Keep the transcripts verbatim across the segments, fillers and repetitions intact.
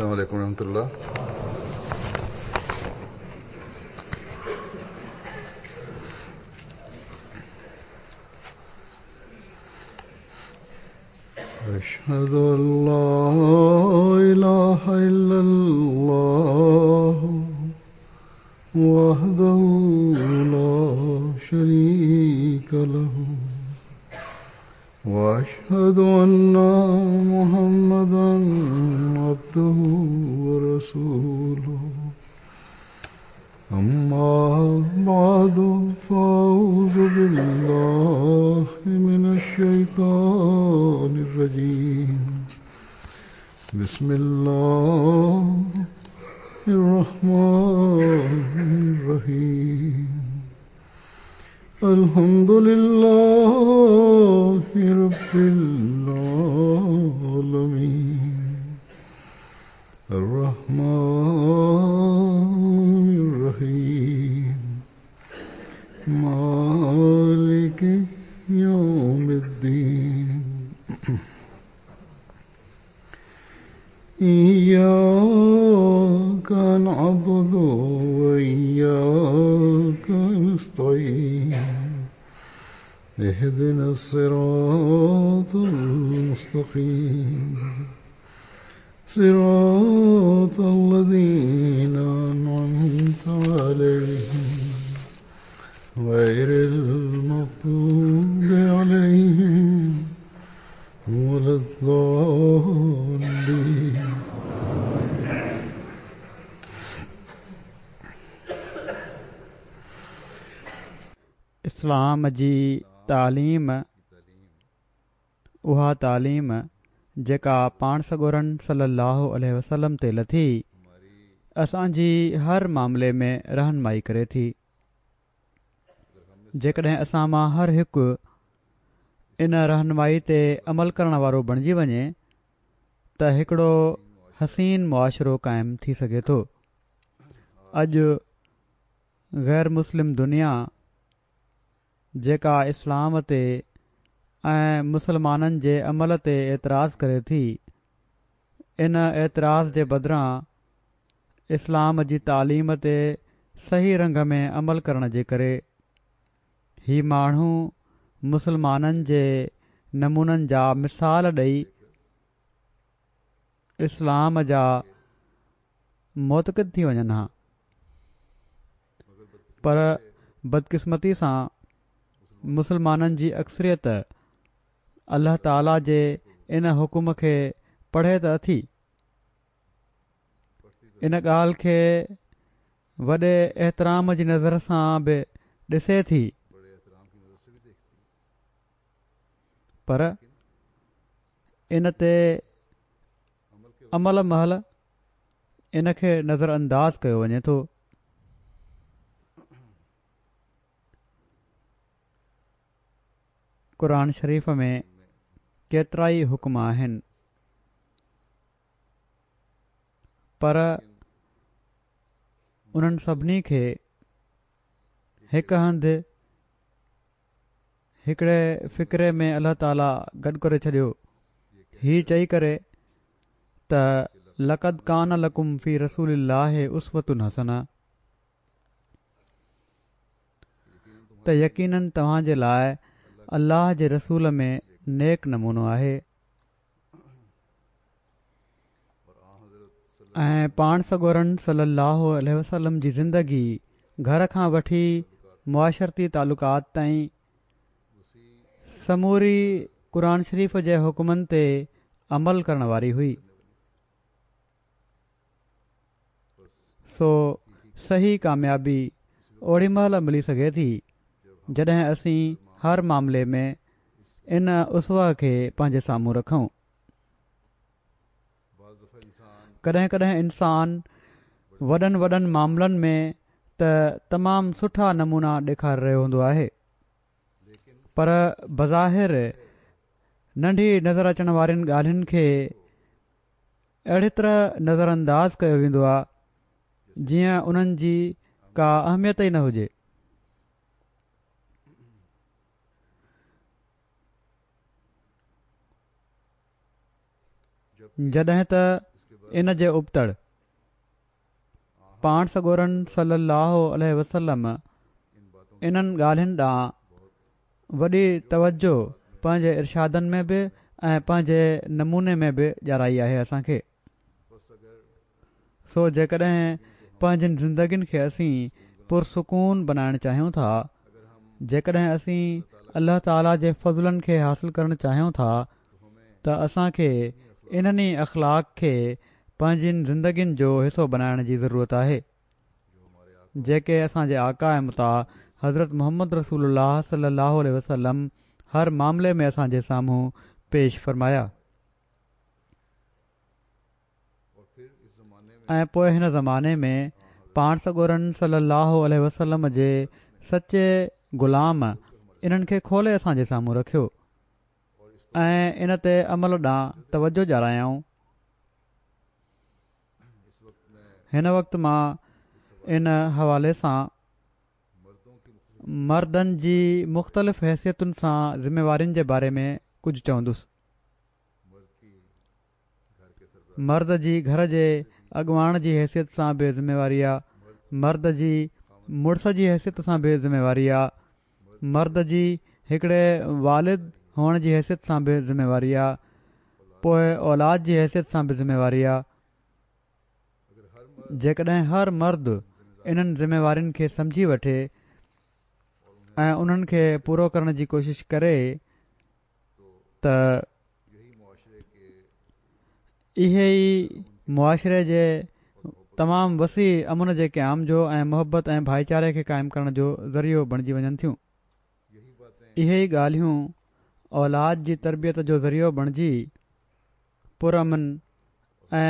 السلام علیکم ورحمۃ اللہ۔ أشهد أن لا إله إلا الله وحده لا شريك له وأشهد أن محمدا عبده ورسوله أما بعد فأعوذ بالله من الشيطان الرجيم بسم الله الرحمن الرحيم الحمد لله رب العالمين الرحمن الرحيم مالك يوم الدين إياك نعبد وإياك نستعين اهدنا الصراط المستقيم صراط الذين أنعمت عليهم غير المغضوب عليهم ولا الضالين. اسلام جي تعليم اها تعليم جيڪا پاڻ سڳورن صلي الله عليه وسلم تي لٿي اسان جي هر معاملي ۾ رهنمائي ڪري ٿي. جيڪڏهن اسان مان هر هڪ ان رهنمائي تي عمل ڪرڻ وارو بڻجي وڃي ته هڪڙو حسين معاشرو قائم ٿي سگهي ٿو. اڄ غير مسلم دنيا جيڪا اسلام تي ۽ مسلمانن جي عمل تي اعتراض ڪري ٿي، ان اعتراض جي بدران اسلام جي تعليم تي صحيح رنگ ۾ عمل ڪرڻ جي ڪري هي ماڻهو مسلمانن جي نمونن جا مثال ڏئي اسلام جا معتقد ٿي وڃن ها، پر بدقسمتي سان مسلمانن جي اڪثريت الله تعاليٰ جي ان حڪم کي پڙهي ته اٿي، ان ڳالهه کي وڏي احترام جي نظر سان به ڏسي ٿي، پر ان تي عمل مهل ان کي نظر انداز ڪيو وڃي ٿو. قرآن شريف ۾ ڪيترائي حڪم آهن، پر انهن سڀني کي هڪ هنڌ هڪڙي فقري ۾ الله تعاليٰ گڏ ڪري ڇڏيو، هي چئي ڪري ته لقد ڪان لڪم في رسول الله اسوة حسنة، ته يقيناً توهان جي لاءِ الله جي رسول ۾ نيڪ نمونو آهي. ۽ پاڻ سڳورن صلي الله عليه وسلم جي زندگي گهر کان وٺي معاشرتي تعلقات تائين سموري قرآن شريف جي حڪمن تي عمل ڪرڻ واري هئي. سو صحيح ڪاميابي اوڏي مهل ملي سگهي ٿي جڏهن اسين هر معاملي ۾ ان اسوه کي پنهنجي سامهون رکون. ڪڏهن ڪڏهن انسان وڏن وڏن معاملن ۾ ته تمام سٺا نمونا ڏيکاري رهيو هوندو آهي، پر بظاهر ننڍي نظر اچڻ وارين ڳالهين کي اهڙي طرح نظر انداز ڪيو ويندو آهي جيئن انهن جي ڪا اهميت ئي نه هجي. جڏهن ته ان جي ابتڙ پاڻ سڳورن صلي الله عليه وسلم انهن ڳالهين ڏانهن وڏي توجه پنهنجي ارشادن ۾ به ۽ پنهنجي نموني ۾ به ڏيارائي آهي اسان کي. سو جيڪڏهن پنهنجين زندگين کي اسين پرسڪون بنائڻ چاهيون ٿا، جيڪڏهن اسين الله تعاليٰ جي فضلن کي حاصل ڪرڻ چاهيون ٿا ته اسان کي انهن ئي اخلاق کي پنهنجين زندگين جو حصو بنائڻ جي ضرورت آهي، جيڪي اسان جي آقا ۽ مطاع حضرت محمد رسول الله صلي الله عليه وسلم هر معاملي ۾ اسان جي سامهون پيش فرمايا. ۽ پوءِ هن زماني ۾ پاڻ سڳورن صلي الله عليه وسلم جي سچي غلام انهن کي کولي اسان جي سامهون رکيو ۽ ان تي عمل ڏانهن توجه ڏياريائون. هن وقت مان ان حوالي سان مردن جي مختلف حيثيتن سان ذميوارين جي باري ۾ ڪجهه چوندس. مرد جي گهر جي اڳواڻ جي حيثيت سان به ذميواري آ، مرد جي مڙس جي حيثيت سان به ذميواري آ، مرد جي هڪڙي والد هئڻ جي حيثيت سان به ذميواري آ، پوءِ اولاد جي حيثيت سان به ذميواري آ. جيڪڏهن هر مرد انهن ذميوارين کي سمجهي وٺي ۽ انهن کي پورو ڪرڻ جي ڪوشش ڪري ته اهي ئي معاشري جي تمام وسيع امن جي قيام جو ۽ محبت ۽ ڀائيچاري کي قائم ڪرڻ جو ذريعو بڻجي وڃن ٿيون. اهي ئي ڳالهيون اولاد جي تربيت جو ذريعو بڻجي پرامن ۽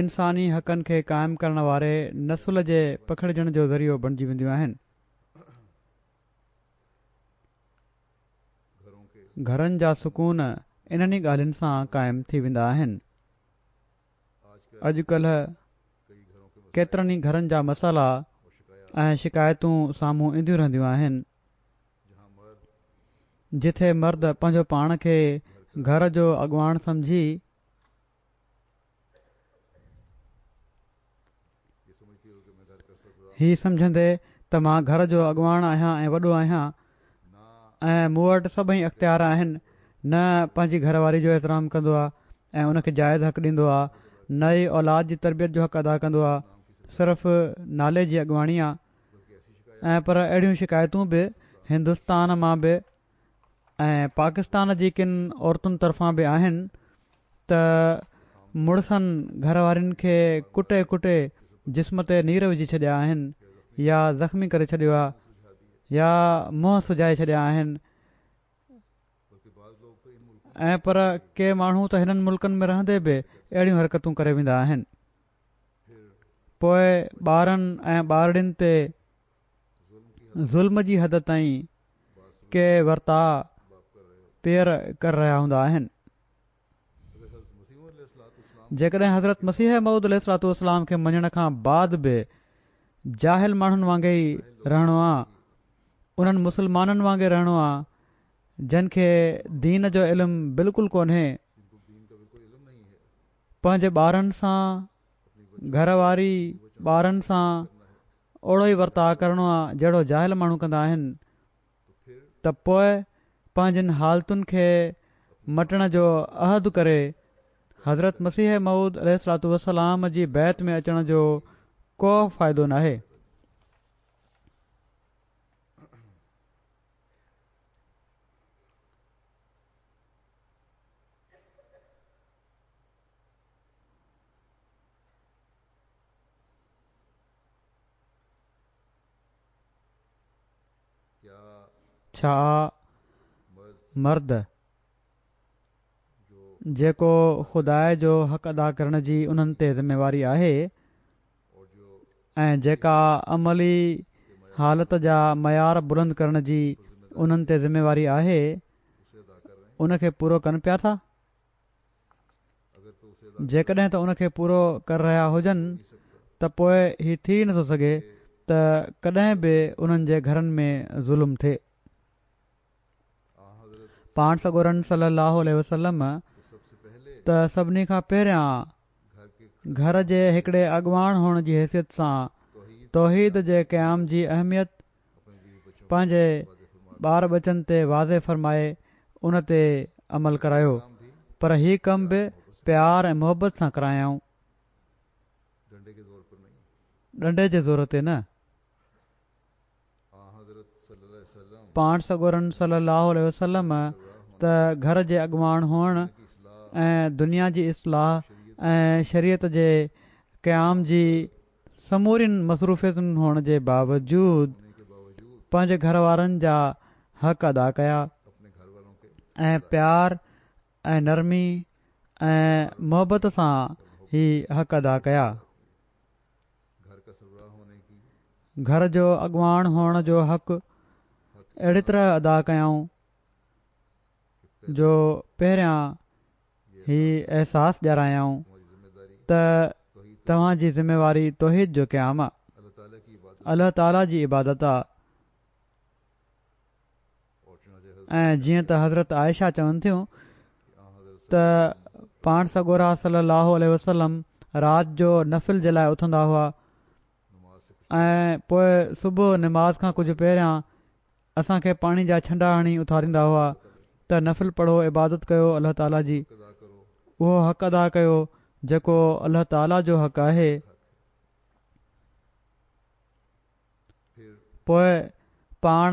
انساني حقن کي قائم ڪرڻ واري نسل جي پکڙجڻ جو ذريعو بڻجي وينديون آهن. گهرن جا سڪون انهن ئي ڳالهين سان قائم ٿي ويندا آهن. اڄڪلهه ڪيترن ئي گهرن جا مسئلا ۽ شڪايتون سامهون اينديون رهنديون آهن، جٿي مرد پنهنجو پاڻ کي گهر جو اڳواڻ سمجهي هي سمجهندي ته مان گهر جو اڳواڻ آهيان ۽ وڏو آهيان ۽ مون وٽ سڀئي اختيار آهن، نه پنهنجي گهر واري جو احترام ڪندو آهي ۽ ان کي جائز حق ڏيندو آهي، نه ئي اولاد جي تربيت جو حق ادا ڪندو آهي، صرف نالي جي اڳواڻي آهي. ۽ پر اهڙيون شڪايتون به هندستان مان به ۽ پاڪستان جي ڪن عورتن طرفان به آهن ته مڙسن گهر وارين کي ڪٽي ڪٽي جسم تي نير وجهي ڇڏيا آهن يا زخمي ڪري ڇڏيو آهي يا منهن سجائي ڇڏيا آهن. ۽ پر ڪي ماڻهو ته هنن ملڪن ۾ رهندي به اهڙيون حرڪتون ڪري ويندا آهن. پوءِ ٻارن ۽ ٻارڙين تي ظلم جي حد تائين ڪي ورتاءُ پيئر ڪري رهيا هوندا آهن. جيڪڏهن حضرت مسيح موعود عليه الصلوة والسلام کي مڃڻ کان بعد به جاهل ماڻهن وانگي ئي رهڻو آ، انهن مسلمانن وانگي رهڻو آ جن کي دين جو علم بلڪل ڪونهي، پنهنجي ٻارن سان گهر واري ٻارن سان اوڙو ئي ورتاءُ ڪرڻو آ جهڙو جاهل ماڻهو ڪندا آهن، ته پوءِ پنهنجين حالتن کي مٽڻ جو عهد ڪري حضرت مسيح موعود عليه الصلوة والسلام جي بيعت ۾ اچڻ جو ڪو فائدو ناهي. ڇا مرد جيڪو خدا جو حق ادا ڪرڻ جي انهن تي ذميواري آهي ۽ جيڪا عملي حالت جا معيار بلند ڪرڻ جي انهن تي ذميواري آهي، ان کي پورو ڪن پيا ٿا؟ جيڪڏهن ته ان کي پورو ڪري رهيا هجن ته پوءِ هي ٿي نٿو سگهي ته ڪڏهن به انهن جي گهرن ۾ ظلم ٿئي. پاڻ سڳورن صلي الله عليه وسلم ته سڀني کان پهريان گهر جي هڪڙي اڳواڻ هئڻ جي حيثيت سان توحيد جي قيام جي اهميت پنهنجي ٻار ٻچن تي واضح فرمائي ان تي عمل ڪرايو، پر هي ڪم به پيار ۽ محبت سان ڪرايائون، ڏنڊي جي زور تي نه. پاڻ سڳورن صلي الله عليه وسلم ته گهر جي اڳواڻ هئڻ ۽ دنيا جي اصلاح ۽ شريعت جي قيام جي سمورين مصروفيتن هئڻ جي باوجود پنهنجي گهر وارن جا حق ادا ڪيا ۽ پيار ۽ نرمي ۽ محبت سان هي حق ادا ڪيا. گهر جو اڳواڻ هئڻ جو حق اهڙي طرح ادا ڪيائون جو پهريان هي احساس ڏياريائون ته توهان جي ذميواري توحيد جو قيام آ، الله تعاليٰ جي عبادت آ. ۽ جيئن ته حضرت عائشه چون ٿيون ته پاڻ سڳورا صلي الله عليه وسلم رات جو نفل جي لاءِ اٿندا هئا ۽ پوءِ صبح نماز کان ڪجهه پهريان اسان کي پاڻي جا ڇنڊا هڻي اٿاريندا هئا ته نفل پڙهو، عبادت ڪيو الله تعاليٰ جي، اهو حق ادا ڪيو جيڪو الله تعاليٰ جو حق آهي. پوءِ پاڻ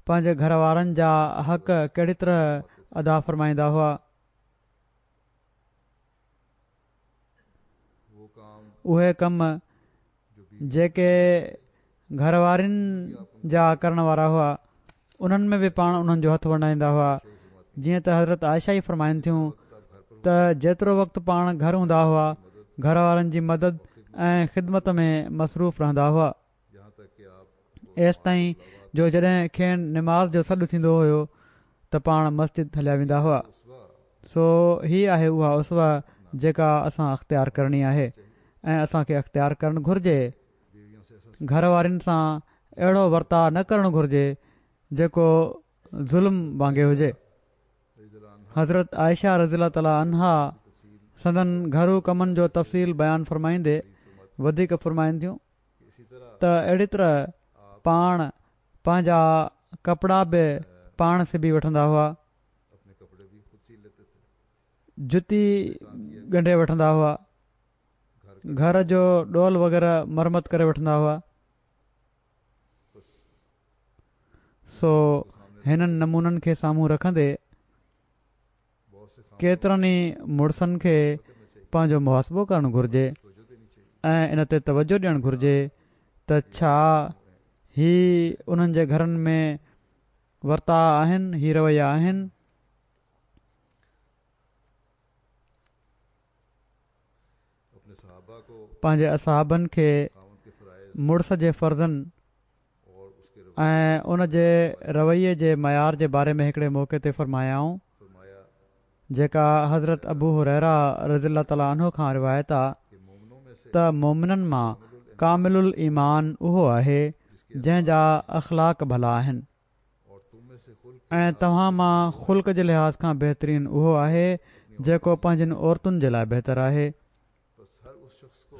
پنهنجي گهر وارن جا حق ڪهڙي طرح ادا فرمائيندا هئا. اهي ڪم جيڪي گهر وارن جا ڪرڻ وارا هئا انهن ۾ به پاڻ انهن جو هٿ ونڊائيندا هئا. جيئن ته حضرت عائشه ئي فرمائن ٿيون ته جيترو وقت پاڻ گهر هوندا هئا گهر وارن جي مدد ۽ خدمت ۾ مصروف رهندا هئا، ايستائين جو جڏهن کين نماز جو سڏ ٿيندو هيو ته پاڻ مسجد هليا ويندا هئا. سو هي آهي اها اسوه جيڪا اسان اختيار ڪرڻي آهي ۽ اسان کي اختيار ڪرڻ گهرجي. گهر وارن سان اهڙو ورتاءُ نه ڪرڻ گهرجي جيڪو ظلم وانگي هجي. حضرت عائشه رضي الله تعاليٰ عنها سندن گهرو ڪمن جو تفصيل بيان فرمائيندي وڌيڪ فرمائن ٿيون ته اهڙي طرح پاڻ پنهنجا ڪپڙا به پاڻ سبي وٺندا هئا، جتي ڳنڍي وٺندا هئا، گهر جو ڏول وغيره مرمت ڪري وٺندا هئا. سو هنن نمونن کي سامهون رکندي ڪيترن ئي مڙسن کي پنهنجو محاسبو ڪرڻ گهرجي ۽ ان تي توجهه ڏيڻ گهرجي ته ڇا هي انهن جي گهرن ۾ ورتاءُ آهن، هي رويا آهن. پنهنجي اصحابن کي مڙس جي فرضن ۽ ان جي رويي جي معيار جي باري ۾ هڪڙي موقعي تي فرمايائون، جيڪا حضرت ابو هريره رضي الله تعاليٰ عنه کان روايت آ ته مومنن مان ڪامل الايمان اهو آهي جنهن جا اخلاق ڀلا آهن، ۽ توهان مان خلق جي لحاظ کان بهترين اهو آهي جيڪو پنهنجين عورتن جي لاءِ بهتر آهي.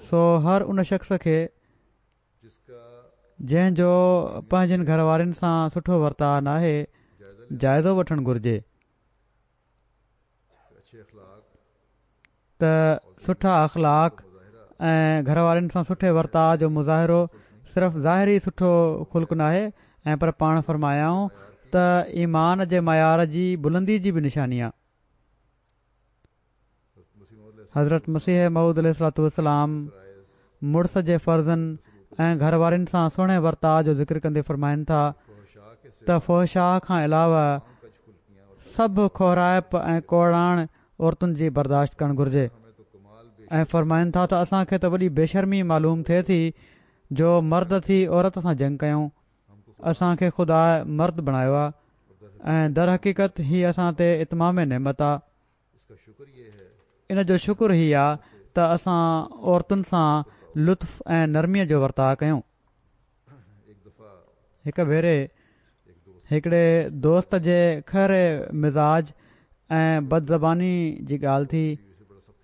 سو هر ان شخص کي جنهن جو پنهنجين گهر وارن سان سٺو ورتاءُ ناهي جائزو وٺڻ گهرجي ته سٺا اخلاق ۽ گهر وارن سان سٺي ورتاءُ جو مظاهرو صرف ظاهري سٺو خلق ناهي، ۽ پر پاڻ فرمايائون ته ايمان جي معيار جي بلندي جي به نشاني آهي. حضرت مسيح موعود عليه الصلوة والسلام مڙس جي فرضن ۽ گهر وارن سان سهڻي ورتاءُ جو ذڪر ڪندي فرمائن ٿا ته فحشاء کان علاوه سڀ کهرائپ ۽ ڪوڙاڻ عورتن جي برداشت ڪرڻ گهرجي، ۽ فرمائن ٿا ته اسان کي ته وڏي بيشرمي معلوم ٿئي ٿي جو مرد ٿي عورت سان جنگ ڪيون، اسان کي خدا مرد بڻايو آهي ۽ درحقيقت هي اسان تي اتمام نعمت آهي. ان جو شڪر هي آهي ته اسان عورتن سان لطف ۽ نرميءَ جو ورتاءُ ڪيون. هڪ ڀيري هڪڙي دوست جي کهري مزاج ۽ بدزباني جي ڳالهه ٿي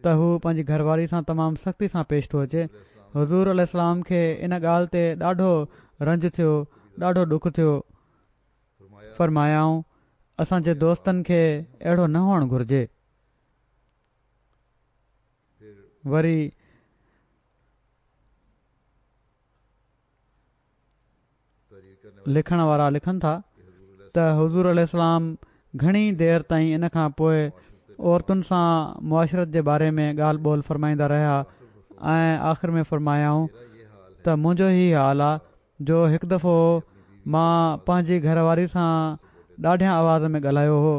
ته هو پنهنجي گهرواري سان تمام سختي سان پيش ٿو اچي. حضور عليه السلام کي ان ڳالهه تي ڏاڍو رنج ٿيو، ڏاڍو ڏک ٿيو. فرمايائون، اسان جي دوستن کي اهڙو نه هئڻ گهرجي. وري لکڻ وارا لکن ٿا ته حضور عليه السلام گهڻي دير تائين ان کان پوءِ عورتن سان معاشرت جي باري ۾ ڳالهه ٻولهه فرمائيندا رهيا ۽ آخر ۾ فرمايائون ته منهنجو هي حال آهي جو هڪ دفعو مان پنهنجي گهر واري سان ڏاڍيان آواز ۾ ڳالهايو هو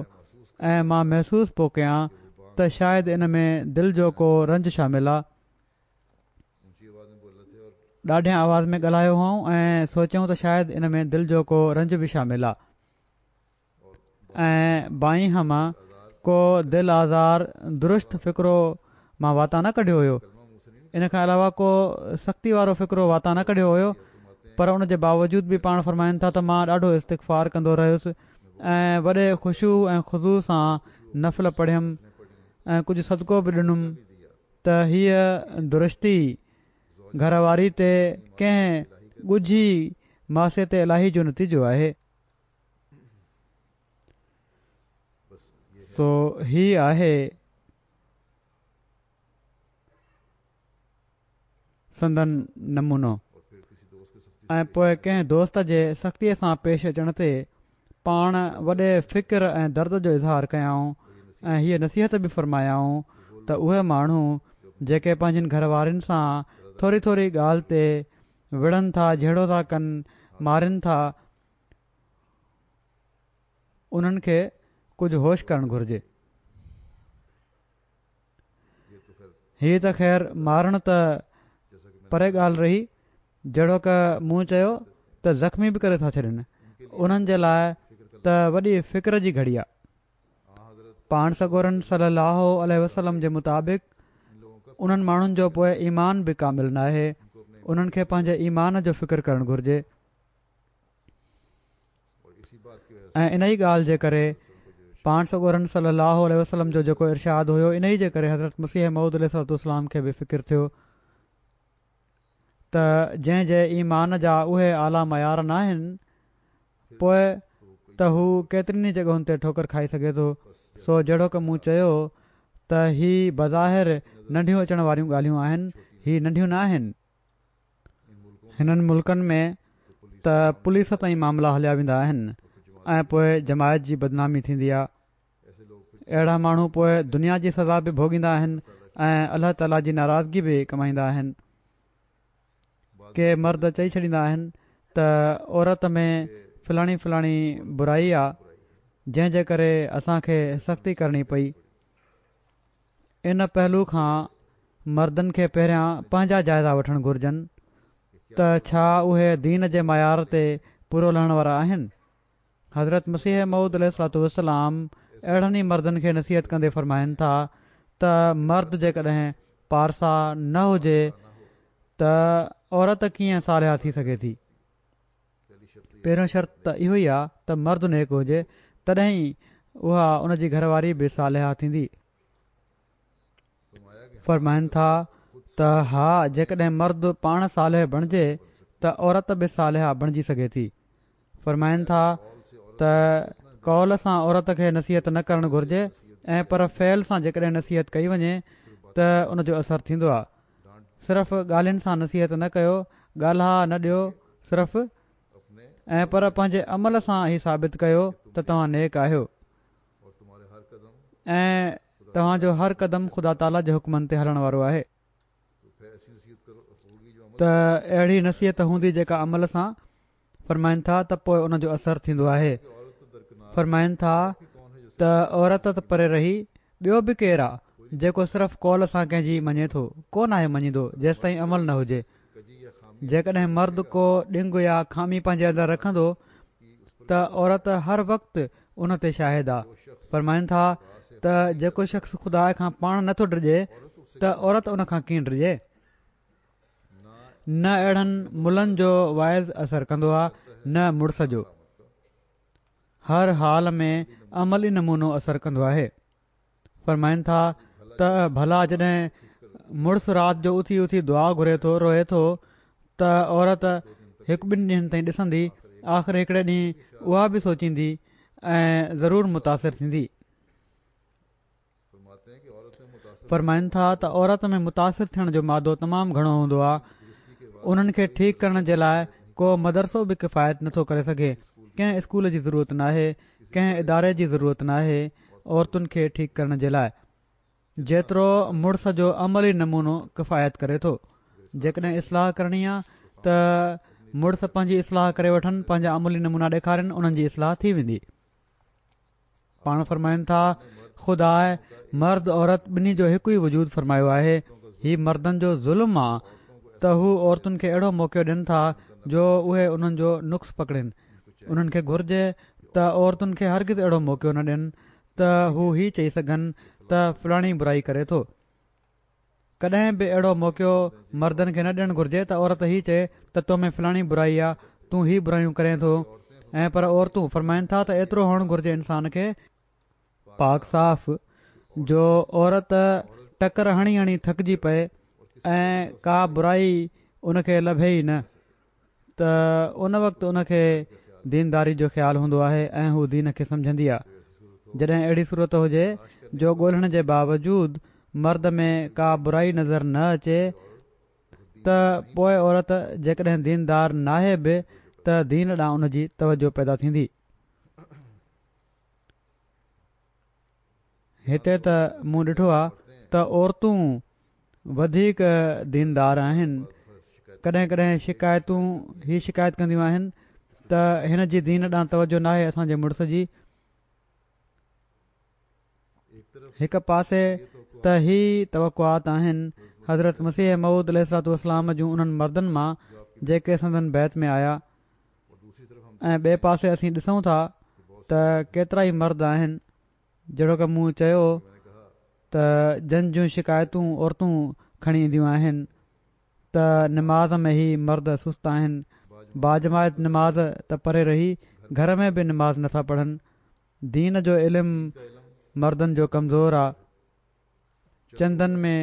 ۽ مان محسوس پيو ڪيان ته شايد ان ۾ دل جو ڪو رنج شامل آهي. ڏاڍيان آواز ۾ ڳالهايو هئائون ۽ سوچيائون ته شايد ان ۾ دل جو ڪو رنج به شامل آهي ۽ بائين هما ڪو دل آزار درست فقرو مان واتان نه ڪڍيو هيو. ان کان علاوه ڪو سختي وارو فقرو واتان نه ڪڍيو هيو، پر ان جي باوجود به پاڻ فرمائن ٿا ته مان ڏاڍو استغفار ڪندو رهيس ۽ وڏي خشوع ۽ خضوع سان نفل پڙهيم ۽ ڪجهه صدقو به ڏنم ته هيءَ درستي گهر واري تي ڪنهن ڳجهي معصيت الاهي جو نتيجو آهي. سو هي آهي سندن نمونو. ۽ پوءِ ڪنهن دوست جي سختيءَ سان پيش اچڻ تي پاڻ وڏي فڪر ۽ درد جو اظهار ڪيائون ۽ هيءَ نصيحت به فرمايائون ته اهي ماڻهو جيڪي پنهنجن گهر وارن سان ٿوري ٿوري ڳالهه تي وڙهن ٿا، جهيڙو ٿا ڪن، مارين ٿا، انهن کي ڪجهه هوش ڪرڻ گهرجي. هيءَ ته خير مارڻ ته پري ڳالهه رهي، جهڙوڪ مون چيو ته زخمي به ڪري ٿا ڇڏن. انهن جي لاءِ ته وڏي فڪر جي گهڙي آهي. پاڻ سڳورن صلي الله عليه وسلم جي مطابق انهن ماڻهن جو پوءِ ايمان به ڪامل ناهي. انهن کي پنهنجي ايمان جو فڪر ڪرڻ گهرجي. ۽ ان ئي ڳالهه جي ڪري پاڻ سڳورن صلي الله عليه وسلم جو جيڪو ارشاد هيو، ان ئي جي ڪري حضرت مسيح موعود عليه الصلوة والسلام کي به فڪر ٿيو ته جنهن جي ايمان جا اهي اعليٰ معيار ناهن، پوءِ ته هو ڪيترين ئي جڳهن تي ٺوڪر کائي سگهي ٿو. سو جهڙوڪ مون چيو ته هي بظاهر ننڍيون اچڻ واريون ڳالهيون آهن، هي ننڍيون نه آهن. هنن ملڪن ۾ ته پوليس تائين معاملا هليا ويندا آهن ۽ پوءِ جماعت جي بدنامي ٿيندي آهي. اهڙا ماڻهو پوءِ دنيا جي سزا به ڀوڳيندا آهن ۽ الله تعاليٰ جي ناراضگي به ڪمائيندا آهن. ڪي مرد چئي ڇڏيندا آهن ته عورت ۾ فلاڻي فلاڻي برائي آهي، جنهن جي ڪري اسان کي سختي ڪرڻي پئي. ان پهلو کان مردن کي پهريان پنهنجا جائزا وٺڻ گهرجن ته ڇا اهي دين جي معيار تي پورو لهڻ وارا آهن. حضرت مسيح موعود عليه الصلوة والسلام اهڙن ئي مردن کي نصيحت ڪندي فرمائن ٿا ته مرد جيڪڏهن پارسا نه هجي ته عورت ڪيئن صالحه ٿي سگهي ٿي؟ پهريون شرط ته اهو ئي آهي ته مرد نيڪ هجي، تڏهن ئي اها ان جي گهر واري به صالحه ٿيندي. فرمائن ٿا ته ها، جيڪڏهن مرد پاڻ صالح بڻجي ته عورت به صالحه بڻجي سگهي ٿي. فرمائن ٿا ته قول سان عورت کي نصيحت نه ڪرڻ گهرجي ۽ پر فعل سان جيڪڏهن نصيحت ڪئي وڃي ته ان جو اثر ٿيندو آهي. صرف ڳالهين سان نصيحت نه ڪيو، ڳالها نه ڏيو صرف، ۽ پر پنهنجي عمل سان ئي ثابت ڪيو ته توهان نيڪ آهيو ۽ توهان جو هر قدم خدا تعاليٰ جي حڪمن تي هلڻ وارو آهي. ته اهڙي نصيحت هوندي جيڪا عمل سان، فرمائن ٿا ته پوءِ ان جو اثر ٿيندو آهي. فرمائن ٿا ته عورت ته پري رهي، ٻيو به ڪير آهي جيڪو صرف قول سان ڪنهن جي مڃي ٿو؟ ڪو ناهي مڃيندو جيستائين عمل نه هجي. جيڪڏهن مرد ڪو ڏنگ يا خامي پنهنجي اندر رکندو ته عورت هر وقت ان تي شاهد آهي. فرمائن ٿا ته جيڪو شخص خدا کان پاڻ نٿو ڊڄي ته عورت ان کان ڪيئن ڊڄي؟ نه اهڙن ملن جو واعظ اثر ڪندو آهي نه مڙس جو. هر حال ۾ عملي نمونو اثر ڪندو آهي. فرمائن ٿا ته ڀلا جڏهن مڙس رات جو اٿي اٿي دعا گهري ٿو، روئي ٿو، ته عورت هڪ ٻن ڏينهن تائين ڏسندي، آخر هڪڙي ڏينهن اها به سوچيندي ۽ ضرور متاثر ٿيندي. فرمائن ٿا ته عورت ۾ متاثر ٿيڻ جو مادو تمام گهڻو هوندو آهي. انهن کي ٺيڪ ڪرڻ جي لاءِ ڪو مدرسو به ڪفايت نٿو ڪري سگهي. ڪنهن اسڪول جي ضرورت ناهي، ڪنهن اداري جي ضرورت ناهي عورتن کي ٺيڪ ڪرڻ جي لاءِ، جيترو مڙس جو عملي نمونو ڪفايت ڪري ٿو. جيڪڏهن اصلاح ڪرڻي آهي ته مڙس پنهنجي اصلاح ڪري وٺن، پنهنجا عملي نمونا ڏيکارين، انهن جي اصلاح ٿي ويندي. پاڻ فرمائن ٿا، خدا مرد عورت ٻنهي جو هڪ ئي وجود فرمايو آهي. هي مردن جو ظلم آ ته هو عورتن کي اهڙو موقعو ڏين ٿا جو اهي انهن جو نقص پڪڙين. انهن کي گهرجي ته عورتن کي هرگز اهڙو موقعو نه ڏين ته هو هي چئي سگهن ته فلاڻي برائي ڪري ٿو. ڪڏهن به اهڙو موقعو مردن کي نه ڏيڻ گهرجي ته عورت هي چئي ته تو ۾ فلاڻي برائي آ، تون هي برايون ڪرين ٿو. ۽ پر عورتون فرمائن ٿا ته ايترو هئڻ گهرجي انسان کي پاڪ صاف جو عورت ٽڪر هڻي هڻي ٿڪجي پئي ۽ ڪا برائي ان کي لڀي ئي نه، ته ان وقت ان کي دينداري جو خيال هوندو آهي ۽ هو دين کي سمجهندي آ. جڏهن اهڙي صورت هجي جو ڳولهڻ جي باوجود مرد ۾ ڪا برائي نظر نه اچي ته پوءِ عورت جيڪڏهن ديندار ناهي به ته دين ڏانهن ان جي توجه پيدا ٿيندي. هتي ته مون ڏٺو آ ته عورتون وڌيڪ ديندار آهن. ڪڏهن ڪڏهن شڪايتون هي شڪايت ڪنديون آهن ته هن جي دين ڏانهن توجه ناهي اسان جي مڙس جي. هڪ پاسي ته هي توقعات آهن حضرت مسيح موعود عليه الصلوة والسلام جون انهن مردن مان جيڪي سندن بيعت ۾ آيا، ۽ ٻئي پاسي اسين ڏسون ٿا ته ڪيترا ئي مرد آهن جهڙوڪ مون چيو ته جن جون شڪايتون عورتون کڻي اينديون آهن ته نماز ۾ هي مرد سست آهن، باجماعت نماز ته پري رهي، گهر ۾ به نماز نٿا پڙهن. دين جو علم مردن جو ڪمزور آ. چندن ۾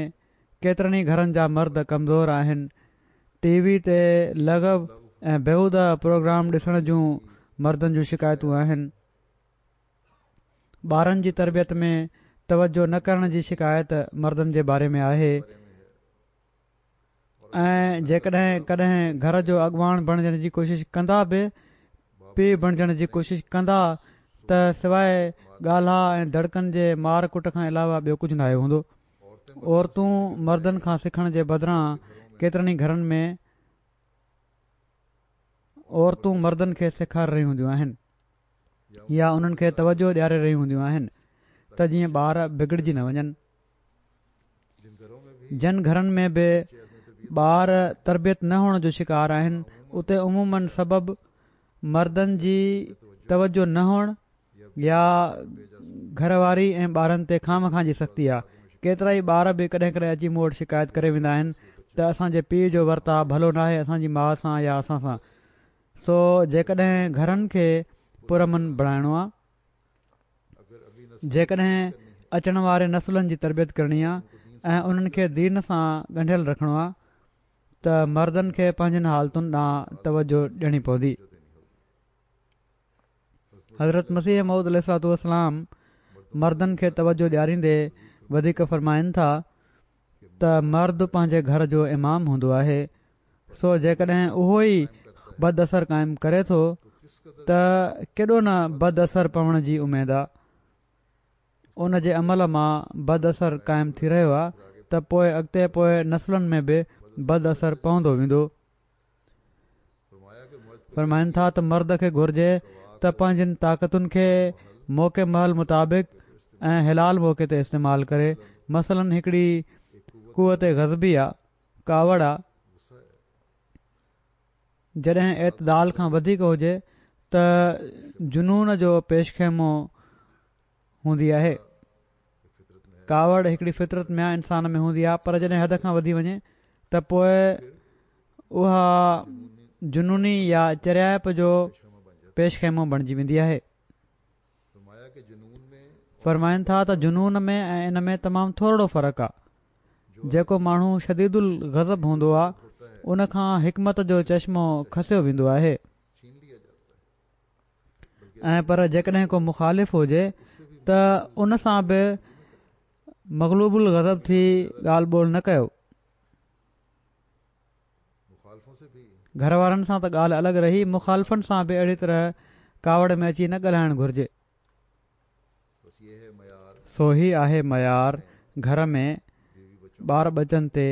ڪيترن ئي گهرن جا مرد ڪمزور آهن. ٽي وي تي لغو ۽ بيهوده پروگرام ڏسڻ جون مردن جون شڪايتون آهن. ٻارن جي تربيت ۾ توجه نه ڪرڻ جي شڪايت مردن جي باري ۾ آهي. ۽ جيڪڏهن ڪڏهن گهر جو اڳواڻ بڻجڻ جي ڪوشش ڪندا به، پيءُ بڻجڻ جي ڪوشش ڪندا ته سواءِ ڳالها ۽ دڙڪن جي مار ڪٽ کان علاوه ٻيو ڪجهه ناهي هوندو. عورتون مردن کان سکڻ جي بدران ڪيترن ئي گهرن ۾ عورتون مردن کي سيکاري رهيون هونديون آهن يا انهن کي توجه ڏياري رهيون هونديون آهن ته جيئن ٻار بگڙجي نه وڃن. جن گهرن ۾ به ٻار تربيت نه هئڻ جو شڪار آهن اتي عموماً سبب مردن جي توجه نه هئڻ يا گهر واري ۽ ٻارن تي خامخواه جي سختي آهي. ڪيترا ئي ٻار به ڪڏهن ڪڏهن اچي مون وٽ شڪايت ڪري ويندا آهن ته اسان جي پيءُ جو ورتاءُ ڀلو ناهي اسان جي ماءُ سان يا اسان سان. سو جيڪڏهن گهرن کي پرامن بڻائڻو آهي، جيڪڏهن اچڻ واري نسلن جي تربيت ڪرڻي آهي ۽ انهن کي دين سان ڳنڍيل رکڻو آهي ته مردن کي پنهنجن حالتن ڏانهن توجه ڏيڻي پوندي. حضرت مسيح موعود عليه الصلوة والسلام مردن کي توجه ڏياريندي وڌيڪ فرمائن ٿا ته مرد پنهنجي گهر جو امام هوندو آهي، سو جيڪڏهن اهو ئي بد اثر قائم ڪري ٿو ته ڪيڏو نه بد اثر پوڻ جي اميد آهي. ان جي عمل مان بد اثر قائم ٿي رهيو آهي ته پوءِ اڳتي پوءِ نسلن ۾ به بد اثر پوندو ويندو. فرمائن ٿا ته مرد کي گهرجي ته پنهنجن طاقتن کي موقعي مهل مطابق ۽ حلال موقعي تي استعمال ڪري. مثلاً هڪڙي قوت غضبي آ، ڪاوڙ آ، جڏهن اعتدال کان وڌيڪ هجي ته جنون جو پيش خيمو هوندي آهي. ڪاوڙ هڪڙي فطرت ۾ آ، انسان ۾ هوندي آ، پر جڏهن حد کان وڌي وڃي ته پوءِ اها جنوني يا چريائپ جو پيش خيمو بڻجي ويندي آهي. فرمائن ٿا ته جنون ۾ ۽ ان ۾ تمام ٿورڙو فرق آهي. جيڪو ماڻهو شديد الغضب هوندو آهي ان کان حڪمت جو چشمو کسيو ويندو آهي، ۽ پر جيڪڏهن ڪو مخالف هجي ته ان سان به مغلوب الغضب ٿي ڳالهه ٻولهه نه ڪيو. گهر وارن سان ته ڳالهه الڳ رهي، مخالفن سان به اهڙي طرح ڪاوڙ ۾ اچي نه ڳالهائڻ گهرجي. سو هي آهي معيار گهر ۾ ٻار ٻچن تي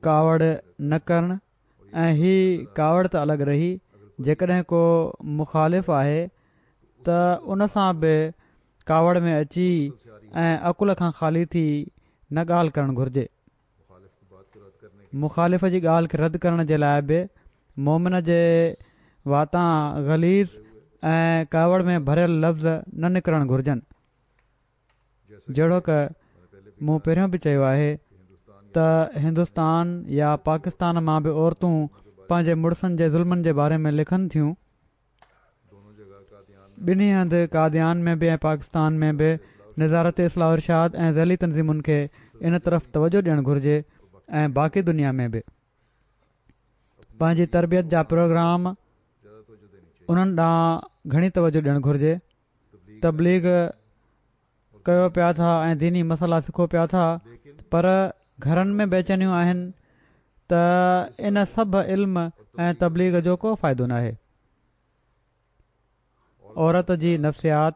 ڪاوڙ نه ڪرڻ، ۽ هي ڪاوڙ ته الڳ رهي، جيڪڏهن ڪو مخالف آهي ته ان سان به ڪاوڙ ۾ اچي ۽ عقل کان خالي ٿي نه ڳالهه ڪرڻ گهرجي. مخالف جي ڳالهه کي رد ڪرڻ جي لاءِ به مومن جي واتان غليظ ۽ ڪاوڙ ۾ ڀريل لفظ نه نڪرڻ گهرجن. جهڙوڪ مون پهريون به چيو آهي ته هندستان يا پاڪستان مان به عورتون پنهنجي مڙسن جي ظلمن جي باري ۾ لکن ٿيون. ٻنهي هنڌ قاديان ۾ به ۽ پاڪستان ۾ به نظارت اصلاح ارشاد ۽ ذيلي تنظيمن کي ان طرف توجه ڏيڻ گهرجي، ۽ باقي دنيا ۾ به پنهنجي تربيت جا پروگرام انهن ڏانهن گهڻي توجه ڏيڻ گهرجي. تبليغ ڪيو پيا ٿا ۽ ديني مسئلا سکو پيا ٿا، پر گهرن ۾ بيچينيون آهن ته ان سڀ علم ۽ تبليغ جو ڪو فائدو ناهي. عورت جي نفسيات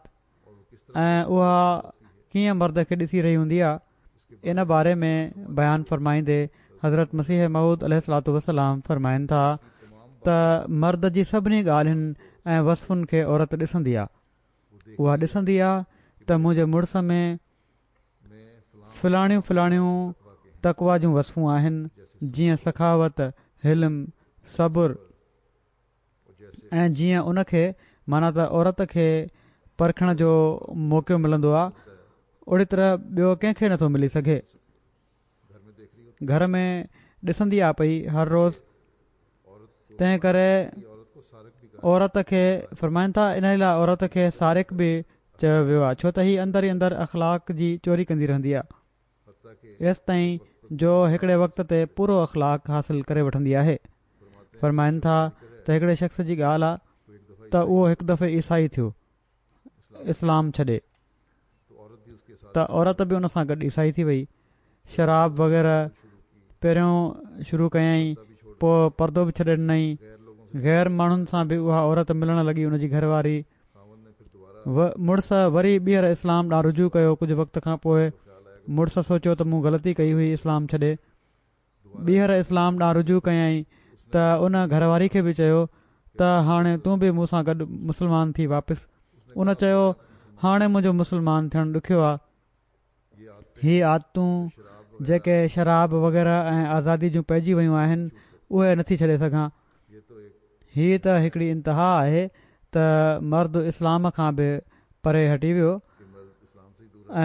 ۽ اها ڪيئن مرد کي ڏسي رهي هوندي آهي، ان باري ۾ بيان فرمائيندي حضرت مسيح موعود عليه الصلوة والسلام فرمائن ٿا ته مرد جي سڀني ڳالهين ۽ وصفن کي عورت ڏسندي آهي. اها ڏسندي آهي ته منهنجي مڙس ۾ فلاڻيون فلاڻيون تقويٰ جون وصفون آهن، جيئن سخاوت، حلم، صبر، ۽ جيئن ان کي معنيٰ ته عورت کي پرکڻ جو موقعو ملندو آهي، اهڙي طرح ٻيو ڪنهن کي نٿو ملي سگهي. گهر ۾ ڏسندي آ پئي هر روز، تنهن ڪري عورت کي فرمائن ٿا ان لاءِ عورت کي سارق به چيو ويو آهي، ڇو ته هي اندر ئي اندر اخلاق جي چوري ڪندي رهندي آهي، ايستائين جو هڪڙي وقت تي پورو اخلاق حاصل ڪري وٺندي آهي. فرمائن ٿا ته هڪڙي شخص جي ڳالهه آهي ته اهو هڪ دفعي عيسائي ٿيو اسلام ڇڏي، ته عورت به ان سان گڏ عيسائي ٿي وئي. شراب وغيره پهريون شروع ڪيائين، پوءِ پردو به ڇڏي ڏنائين. غير ماڻهن سان به اها عورت ملڻ لڳي. ان جي گهر واري مڙس وري ٻيهر اسلام ڏانهن رجوع ڪيو. ڪجهه وقت کان پوءِ مڙس سوچيو ته مون غلطي ڪئي هئي اسلام ڇڏي، ٻيهر اسلام ڏانهن رجوع ڪيائين ته ان گهر واري کي به چيو ته هاڻي تون به مون سان گڏ مسلمان ٿي واپس. ان چيو هاڻي منهنجو مسلمان ٿيڻ ڏکيو آهي. هي عادتون جيڪي شراب وغيره ۽ آزادي جون پئجي ويون آهن اهي نٿي ڇڏي سگهان. هي ته هڪڙي انتها آهي ته مرد اسلام کان به پري هٽي ويو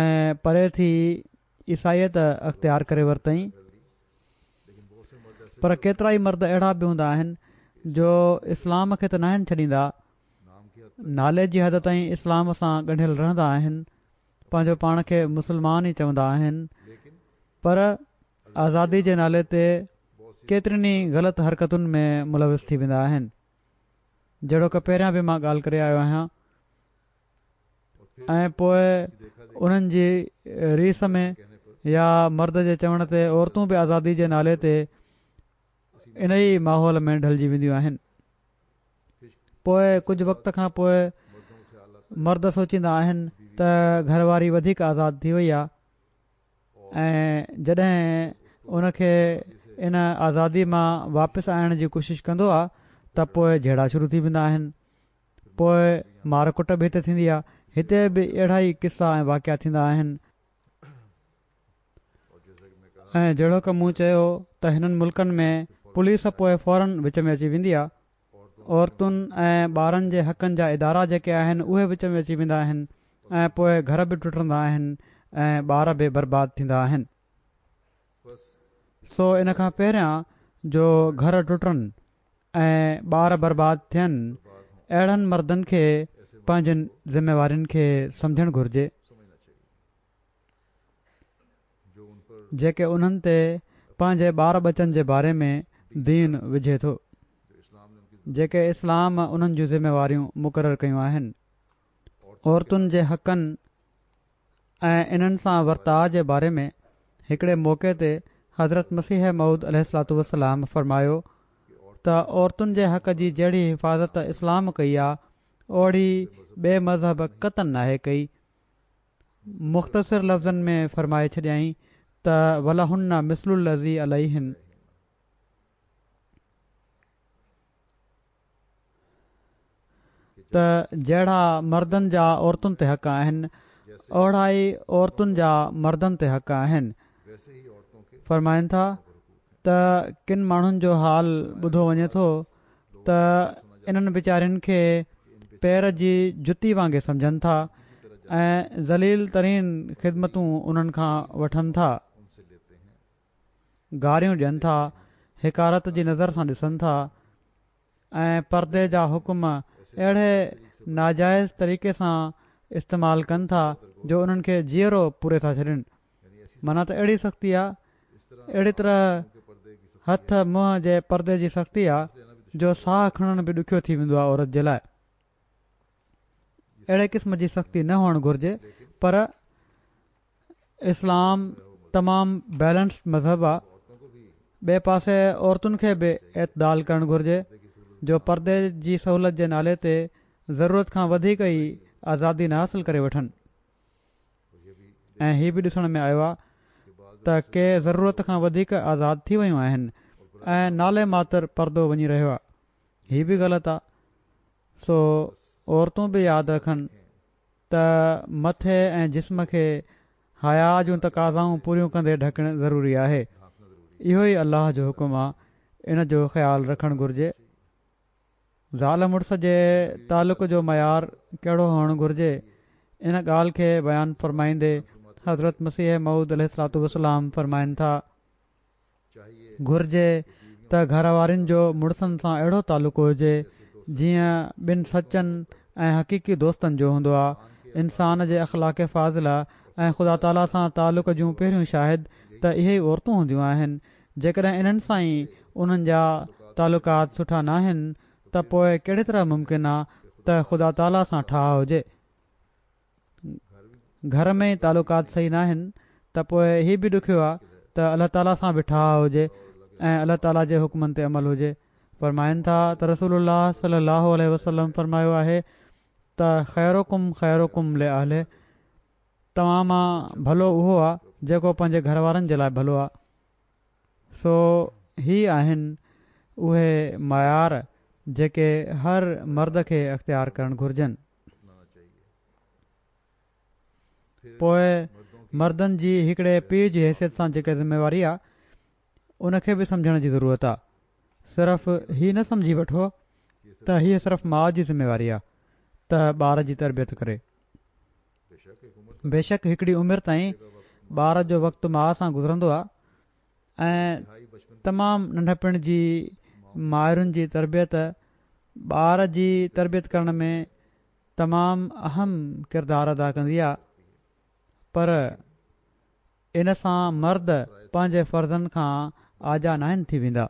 ۽ پري ٿي عيسائيت اختيار ڪري ورتائين. پر ڪيترا ئي مرد اهڙا به هوندا آهن جو اسلام کي ته ناهن ڇڏيندا، نالي جي حد تائين اسلام سان ڳنڍيل رهندا آهن، پنهنجو پاڻ کي مسلمان ئي چوندا آهن، پر آزادي جي نالي تي ڪيترين ئي غلط حرڪتن ۾ ملوث ٿي ويندا آهن. جهڙوڪ پهريان به مان ڳالهه ڪري آيو آهيان. ۽ پوءِ انهن جي ريس ۾ يا مرد جي چوڻ تي عورتون به آزادي جي نالي تي ان ئي ماحول ۾ ڍلجي وينديون آهن. پوءِ ڪجهه وقت کان پوءِ مرد سوچيندا آهن ته گهر واري وڌيڪ آزاد ٿي وئي آهي، ۽ جڏهن ان کي ان آزادي مان واپس آڻڻ جي ڪوشش ڪندو آهي ته پوءِ جهيڙا شروع ٿي ويندا آهن، پوءِ مار ڪٽ به هتي ٿيندي آهي. هتي به اهڙا ئي قصا ۽ واقعا ٿيندا آهن. ۽ جهڙوڪ مون چيو ته هنن ملڪن ۾ پوليس پوءِ فورن وچ ۾ اچي ويندي آهي. عورتن ۽ ٻارن جي حقن جا ادارا جيڪي آهن اهي وچ ۾ اچي ويندا آهن، ۽ پوءِ گهر به ٽٽندا آهن ۽ ٻار به برباد ٿيندا آهن. سو ان کان پهريان جو گهر ٽٽن ۽ ٻار برباد ٿين، اهڙن مردن کي پنهنجن ذميوارين کي سمجهڻ گهرجي جيڪي انهن تي پنهنجي ٻار ٻچن جي باري ۾ دين وجهي ٿو، جيڪي اسلام انهن جون ذميواريون مقرر ڪيون آهن. عورتن جي حقن ۽ انهن سان ورتاء جي باري ۾ هڪڙي موقعي تي حضرت مسيح موعود عليه الصلوة والسلام فرمايو ته عورتن جي حق جي جهڙي حفاظت اسلام ڪئي آ اوڙي ٻئي مذهب قطعاً ناهي ڪئي. مختصر لفظن ۾ فرمائي ڇڏيائين ته ولهن مثل الذي عليهن. ته جهڙا مردن جا عورتن تي حق آهن اوڙا ئي عورتن جا مردن تي حق آهن. فرمائن ٿا ته ڪن ماڻهن جو حال ٻڌو وڃي ٿو ته انهن ويچارين کي پير جي جتي وانگي سمجهن ٿا ۽ ذليل ترين خدمتون انهن کان وٺن ٿا، گاريون ڏين ٿا، حقارت جي نظر سان ڏسن ٿا ۽ پردي جا حڪم اهڙي ناجائز طريقي سان استعمال ڪن ٿا جو انهن کي جيئرو پوري ٿا ڇڏين. معنيٰ ته اهڙي سختي آ، اهڙي طرح هٿ منهن جي پردي جي سختي آ جو ساهه کڻڻ به ڏکيو ٿي ويندو آ عورت جي لاء. اهڙي قسم جي سختي نه هئڻ گهرجي، پر اسلام تمام بيلنسڊ مذهب آ. ٻئي پاسي عورتن کي به اعتدال ڪرڻ گهرجي جو پردي جي سهولت جي نالي تي ضرورت کان وڌيڪ ئي آزادي نه حاصل ڪري وٺن. ۽ هي به ڏسڻ ۾ آيو آ ته ڪي ضرورت کان وڌيڪ آزاد ٿي ويون آهن ۽ نالي ماتر پردو وڃي رهيو آ، هي به غلط آ. سو عورتون به ياد رکن ته مٿي ۽ جسم کي حيا جون تقاضائون پوريون ڪندي ڍڪڻ ضروري آهي. اهو ئي الله جو حڪم آ، ان جو خيال رکڻ گهرجي. زال مڙس جي تعلق جو معيار ڪهڙو هئڻ گهرجي، ان ڳالهه کي بيان فرمائيندي حضرت مسيح موعود عليه الصلوة والسلام فرمائن ٿا، گهرجي ته گهر وارين جو مڙسن سان اهڙو تعلق هجي جيئن ٻن سچن ۽ حقيقي دوستن جو هوندو آ. انسان جي اخلاق فاضله ۽ خدا تعاليٰ سان تعلق جون پهريون شاهد ته اهي ئي عورتون هونديون آهن. جيڪڏهن انهن سان ئي انهن جا تعلقات سٺا ناهن ته پوء ڪهڙي طرح ممڪن آ ته خدا تعاليٰ سان ٺاهه هجي؟ گهر ۾ ئي تعلقات صحيح ناهن ته پوء هي به ڏکيو آ ته الله تعاليٰ سان به ٺاهه هجي ۽ الله تعاليٰ جي حڪمن تي عمل هجي. فرمائن ٿا ته رسول الله صلي الله عليه وسلم فرمايو آهي ته خيرڪم خيرڪم لاهله، توهان مان ڀلو اهو آ جيڪو پنهنجي گهر وارن جي لاء ڀلو آ. سو هي آهن اهي معيار جيڪي هر مرد کي اختيار ڪرڻ گهرجن. پوء مردن جي هڪڙي پيء جي حيثيت سان جيڪا ذميواري آ ان کي به سمجهڻ جي ضرورت آ. صرف هي نه سمجهي وٺو ته هيء صرف ماء جي ذميواري آ ته ٻار جي تربيت ڪري. بيشڪ هڪڙي عمر تائين ٻار جو وقت ماء سان گذرندو آ ۽ تمام ننڍپڻ جي مائرن جي تربيت ٻار جي تربيت ڪرڻ ۾ تمام اهم ڪردار ادا ڪندي آ، پر ان سان مرد پنهنجي فرضن کان آجا ناهن ٿي ويندا.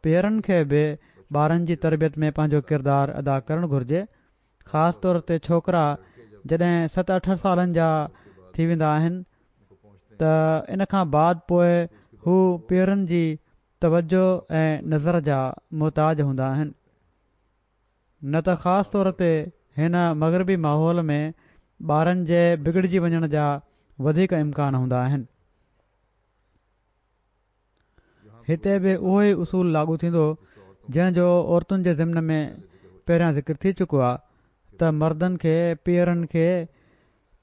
پيئرن کي به ٻارن جي تربيت ۾ پنهنجو ڪردار ادا ڪرڻ گهرجي. خاص طور تي ڇوڪرا جڏهن ست اٺ سالن جا ٿي ويندا آهن ته ان کان بعد پوء هو پيئرن جي توجه ۽ نظر جا محتاج هوندا آهن. نه ته خاص طور تي هن مغربي ماحول ۾ ٻارن جي بگڙجي وڃڻ جا وڌيڪ امڪان هوندا آهن. هتي به اهو ئي اصول لاڳو ٿيندو جنهن جو عورتن جي ضمن ۾ پهريان ذڪر ٿي چڪو آ ته مردن کي پيئرن کي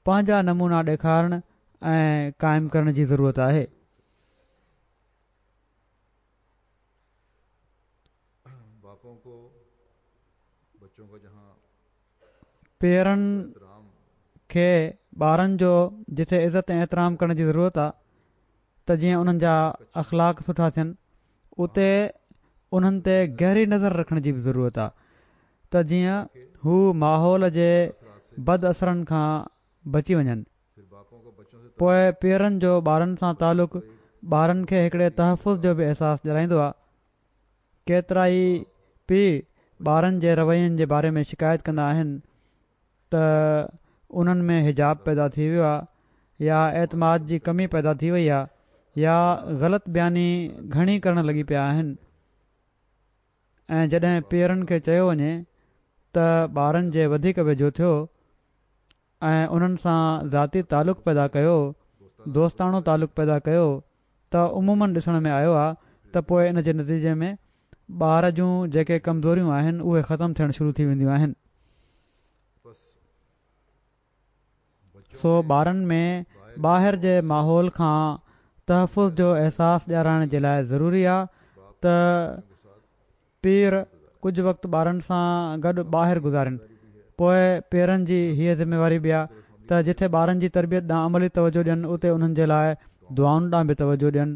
پنهنجا نمونا ڏيکارڻ ۽ قائم ڪرڻ جي ضرورت آهي. پيئرن کي ٻارن جو جتي عزت ۽ احترام ڪرڻ جي ضرورت آ ته جيئن انهن جا اخلاق سٺا ٿين، اتي انهن تي گهري نظر رکڻ جي به ضرورت آ ته جيئن هو ماحول جي بد اثرن کان بچي وڃن. پوءِ پيئرن جو ٻارن سان تعلق ٻارن کي هڪڙي تحفظ جو به احساس ڏيارائيندو آهي. ڪيترا ئي پيءُ ٻارن جي روين جي باري ۾ شڪايت ڪندا آهن ته انهن ۾ حجاب پيدا ٿي ويو آهي يا اعتماد جي ڪمي پيدا ٿي وئي آهي يا غلط بياني گهڻي ڪرڻ لڳي پيا آهن. ۽ جڏهن پيئرن کي چيو وڃي ته ٻارن جي وڌيڪ ويجهو ٿيو ۽ انهن سان ذاتي تعلق پيدا ڪيو، دوستاڻو تعلق پيدا ڪيو، ته عموماً ڏسڻ ۾ آيو آهي ته پوءِ ان جي نتيجي ۾ ٻار جون جيڪي ڪمزوريون آهن اهي ختم ٿيڻ شروع ٿي وينديون آهن. سو ٻارن ۾ ٻاهر جي ماحول کان تحفظ جو احساس ڏيارائڻ جي لاءِ ضروري آهي ته پيئر ڪجهه وقت ٻارن سان گڏ ٻاهر گذارين. پوءِ پيئرن جي هيءَ ذميواري به آهي ته جٿي ٻارن جي تربيت ڏانهن عملي توجهه ڏين اتي انهن جي لاءِ دعائن ڏانهن به توجهه ڏين.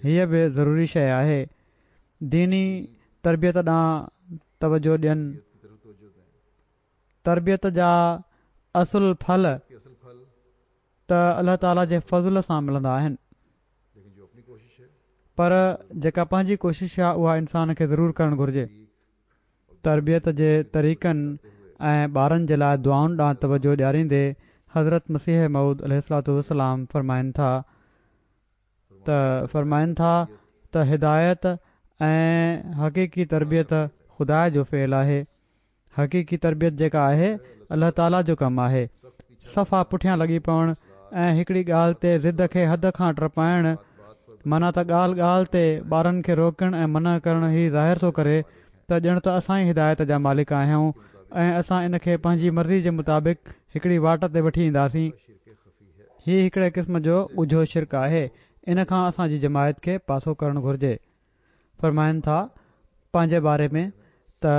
هيءَ به ضروري شيءِ آهي. ديني تربيت ڏانهن توجهه ڏين. تربيت جا اصل ڦل ته الله تعاليٰ جي فضل سان ملندا آهن، پر جيڪا پنهنجي ڪوشش آهي اها انسان کي ضرور ڪرڻ گهرجي. تربيت جي طريقن ۽ ٻارن جي لاءِ دعائن ڏانهن توجهه ڏياريندي حضرت مسيح موعود عليه الصلوة والسلام فرمائن ٿا ته فرمائن ٿا ته هدايت ۽ حقيقي تربيت خدا جو فعل آهي. حقيقي تربيت جيڪا آهي الله تعاليٰ جو ڪم آهي. صفا پٺيان لڳي پوڻ ۽ هڪڙي ڳالهه تي ضد کي حد کان ٽپائڻ، معنيٰ ته ڳالهه ڳالهه تي ٻارن کي روڪڻ ۽ منع ڪرڻ، هي ظاهر ٿو ڪري ته ڄڻ ته اسان ئي هدايت جا مالڪ آهيون ۽ اسان ان کي پنهنجي مرضي جي مطابق هڪڙي واٽ تي وٺي اينداسين. هي هڪڙي قسم جو ڳجهو شرڪ آهي. ان کان اسان جي جماعت کي پاسو ڪرڻ گهرجي. فرمائن ٿا پنهنجي باري ۾ ته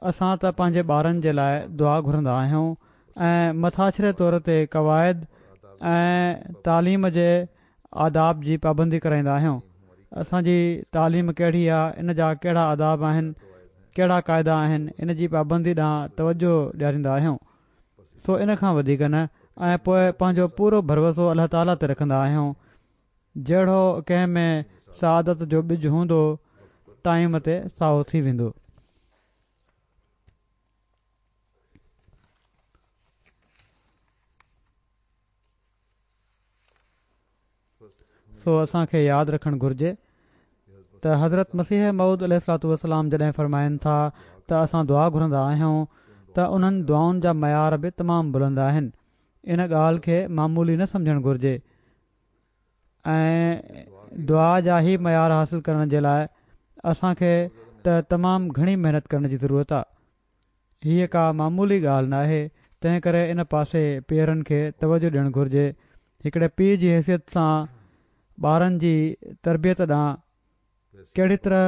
اسان ته پنهنجي ٻارن جي لاءِ دعا گهرندا آهيون ۽ مٿاڇري طور تي قواعد ۽ تعليم جي آداب جي پابندي ڪرائيندا آهيون. اسان جي تعليم ڪهڙي آهي، ان جا ڪهڙا آداب آهن، ڪهڙا قاعدا آهن، ان جي پابندي ڏانهن توجهه ڏياريندا آهيون. سو ان کان وڌيڪ نه. ۽ پوءِ پنهنجو پورو ڀروسو الله تعاليٰ تي رکندا آهيون. جهڙو ڪنهن ۾ سعادت جو ٻج هوندو ٽائيم تي سائو ٿي ويندو. سو اسان کي ياد رکڻ گهرجي ته حضرت مسيح موعود عليه الصلوة والسلام جڏهن فرمائن ٿا ته اسان دعا گهرندا آهيون ته انهن دعائن جا معيار به تمام بلند آهن. ان ڳالهه کي معمولي نه سمجهڻ گهرجي ۽ دعا جا هي معيار حاصل ڪرڻ جي لاءِ اسان کي ته تمام گهڻي محنت ڪرڻ جي ضرورت آهي. هيءَ ڪا معمولي ڳالهه نه آهي، تنهن ڪري ان پاسي پيئرن کي توجهه ڏيڻ گهرجي. هڪڙي پيءُ جي حيثيت سان ٻارن جي تربيت ڏانهن ڪهڙي طرح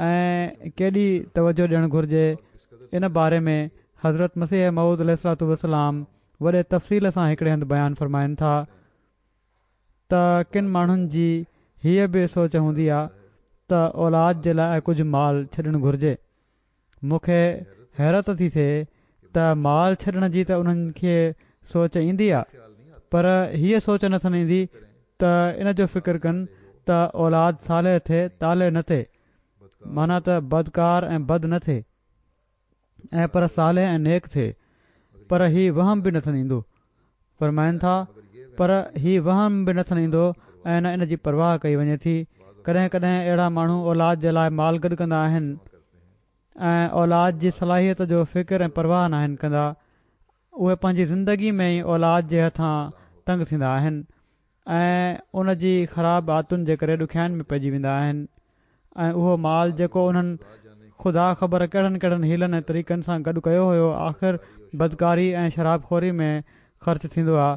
۽ ڪيڏي توجهه ڏيڻ گهرجي، ان باري ۾ حضرت مسيح موعود عليه الصلوة والسلام وڏي تفصيل سان هڪڙي هنڌ بيان فرمائن ٿا ته ڪن ماڻهن جي هيءَ به سوچ هوندي آهي ته اولاد جي لاءِ ڪجهه مال ڇڏڻ گهرجي. مون کي حيرت ٿي ٿئي ته مال ڇڏڻ جي ته انهن کي سوچ ايندي آهي، پر هيءَ سوچ نٿن ايندي ته ان جو فڪر ڪن ته اولاد صالح ٿئي طالح نه ٿئي، معنيٰ ته بدڪار ۽ بد نه ٿئي ۽ پر صالح ۽ نيڪ ٿئي. پر هي وهم به نٿن ايندو. فرمائن ٿا پر هي وهم به نٿن ايندو ۽ نه ان جي پرواهه ڪئي وڃي ٿي. ڪڏهن ڪڏهن اهڙا ماڻهو اولاد جي لاءِ مال گڏ ڪندا آهن ۽ اولاد جي صلاحيت جو فڪر ۽ پرواهه ناهن ڪندا. اهي پنهنجي زندگي ۾ ئي اولاد جي هٿان تنگ ٿيندا آهن ۽ ان جي خراب عادتن جي ڪري ڏکيائين ۾ پئجي ويندا آهن ۽ اهو مال جيڪو انهن خدا خبر ڪهڙن ڪهڙن حيلن ۽ طريقن سان گڏ ڪيو هيو، آخر بدڪاري ۽ شراب خوري ۾ خرچ ٿيندو آهي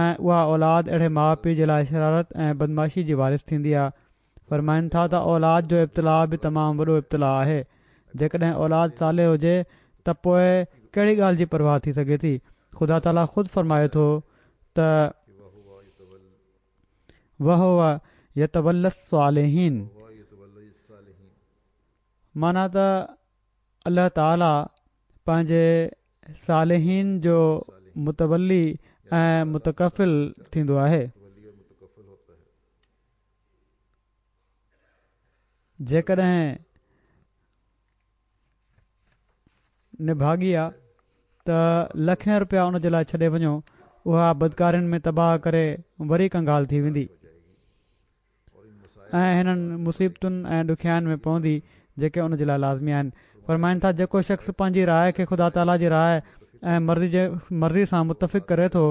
۽ اها اولاد اهڙي ماءُ پيءُ جي لاءِ شرارت ۽ بدمعاشي جي وارث ٿيندي آهي. فرمائن ٿا ته اولاد جو ابتلاءُ به تمام وڏو ابتلاءُ آهي. جيڪڏهن اولاد صالح هجي ته پوءِ ڪهڙي ڳالهه جي پرواهه ٿي سگهي ٿي. خدا تعاليٰ خود فرمائي ٿو ته وهو يتولي الصالحين. معنيٰ ته الله تعاليٰ پنهنجي صالحين جو متولي ۽ متڪفل ٿيندو آهي. جيڪڏهن نڀاڳي آ ته لکين رپيا ان جي لاءِ ڇڏي وڃو، اها بدڪارين ۾ تباهه ڪري وري ڪنگال ٿي ويندي ۽ هنن مصيبتن ۽ ڏکيائين ۾ پوندي جيڪي ان جي لاءِ لازمي آهن. فرمائن ٿا جيڪو شخص پنهنجي راءِ کي خدا تعاليٰ جي راءِ ۽ مرضي جي مرضي سان متفق ڪري ٿو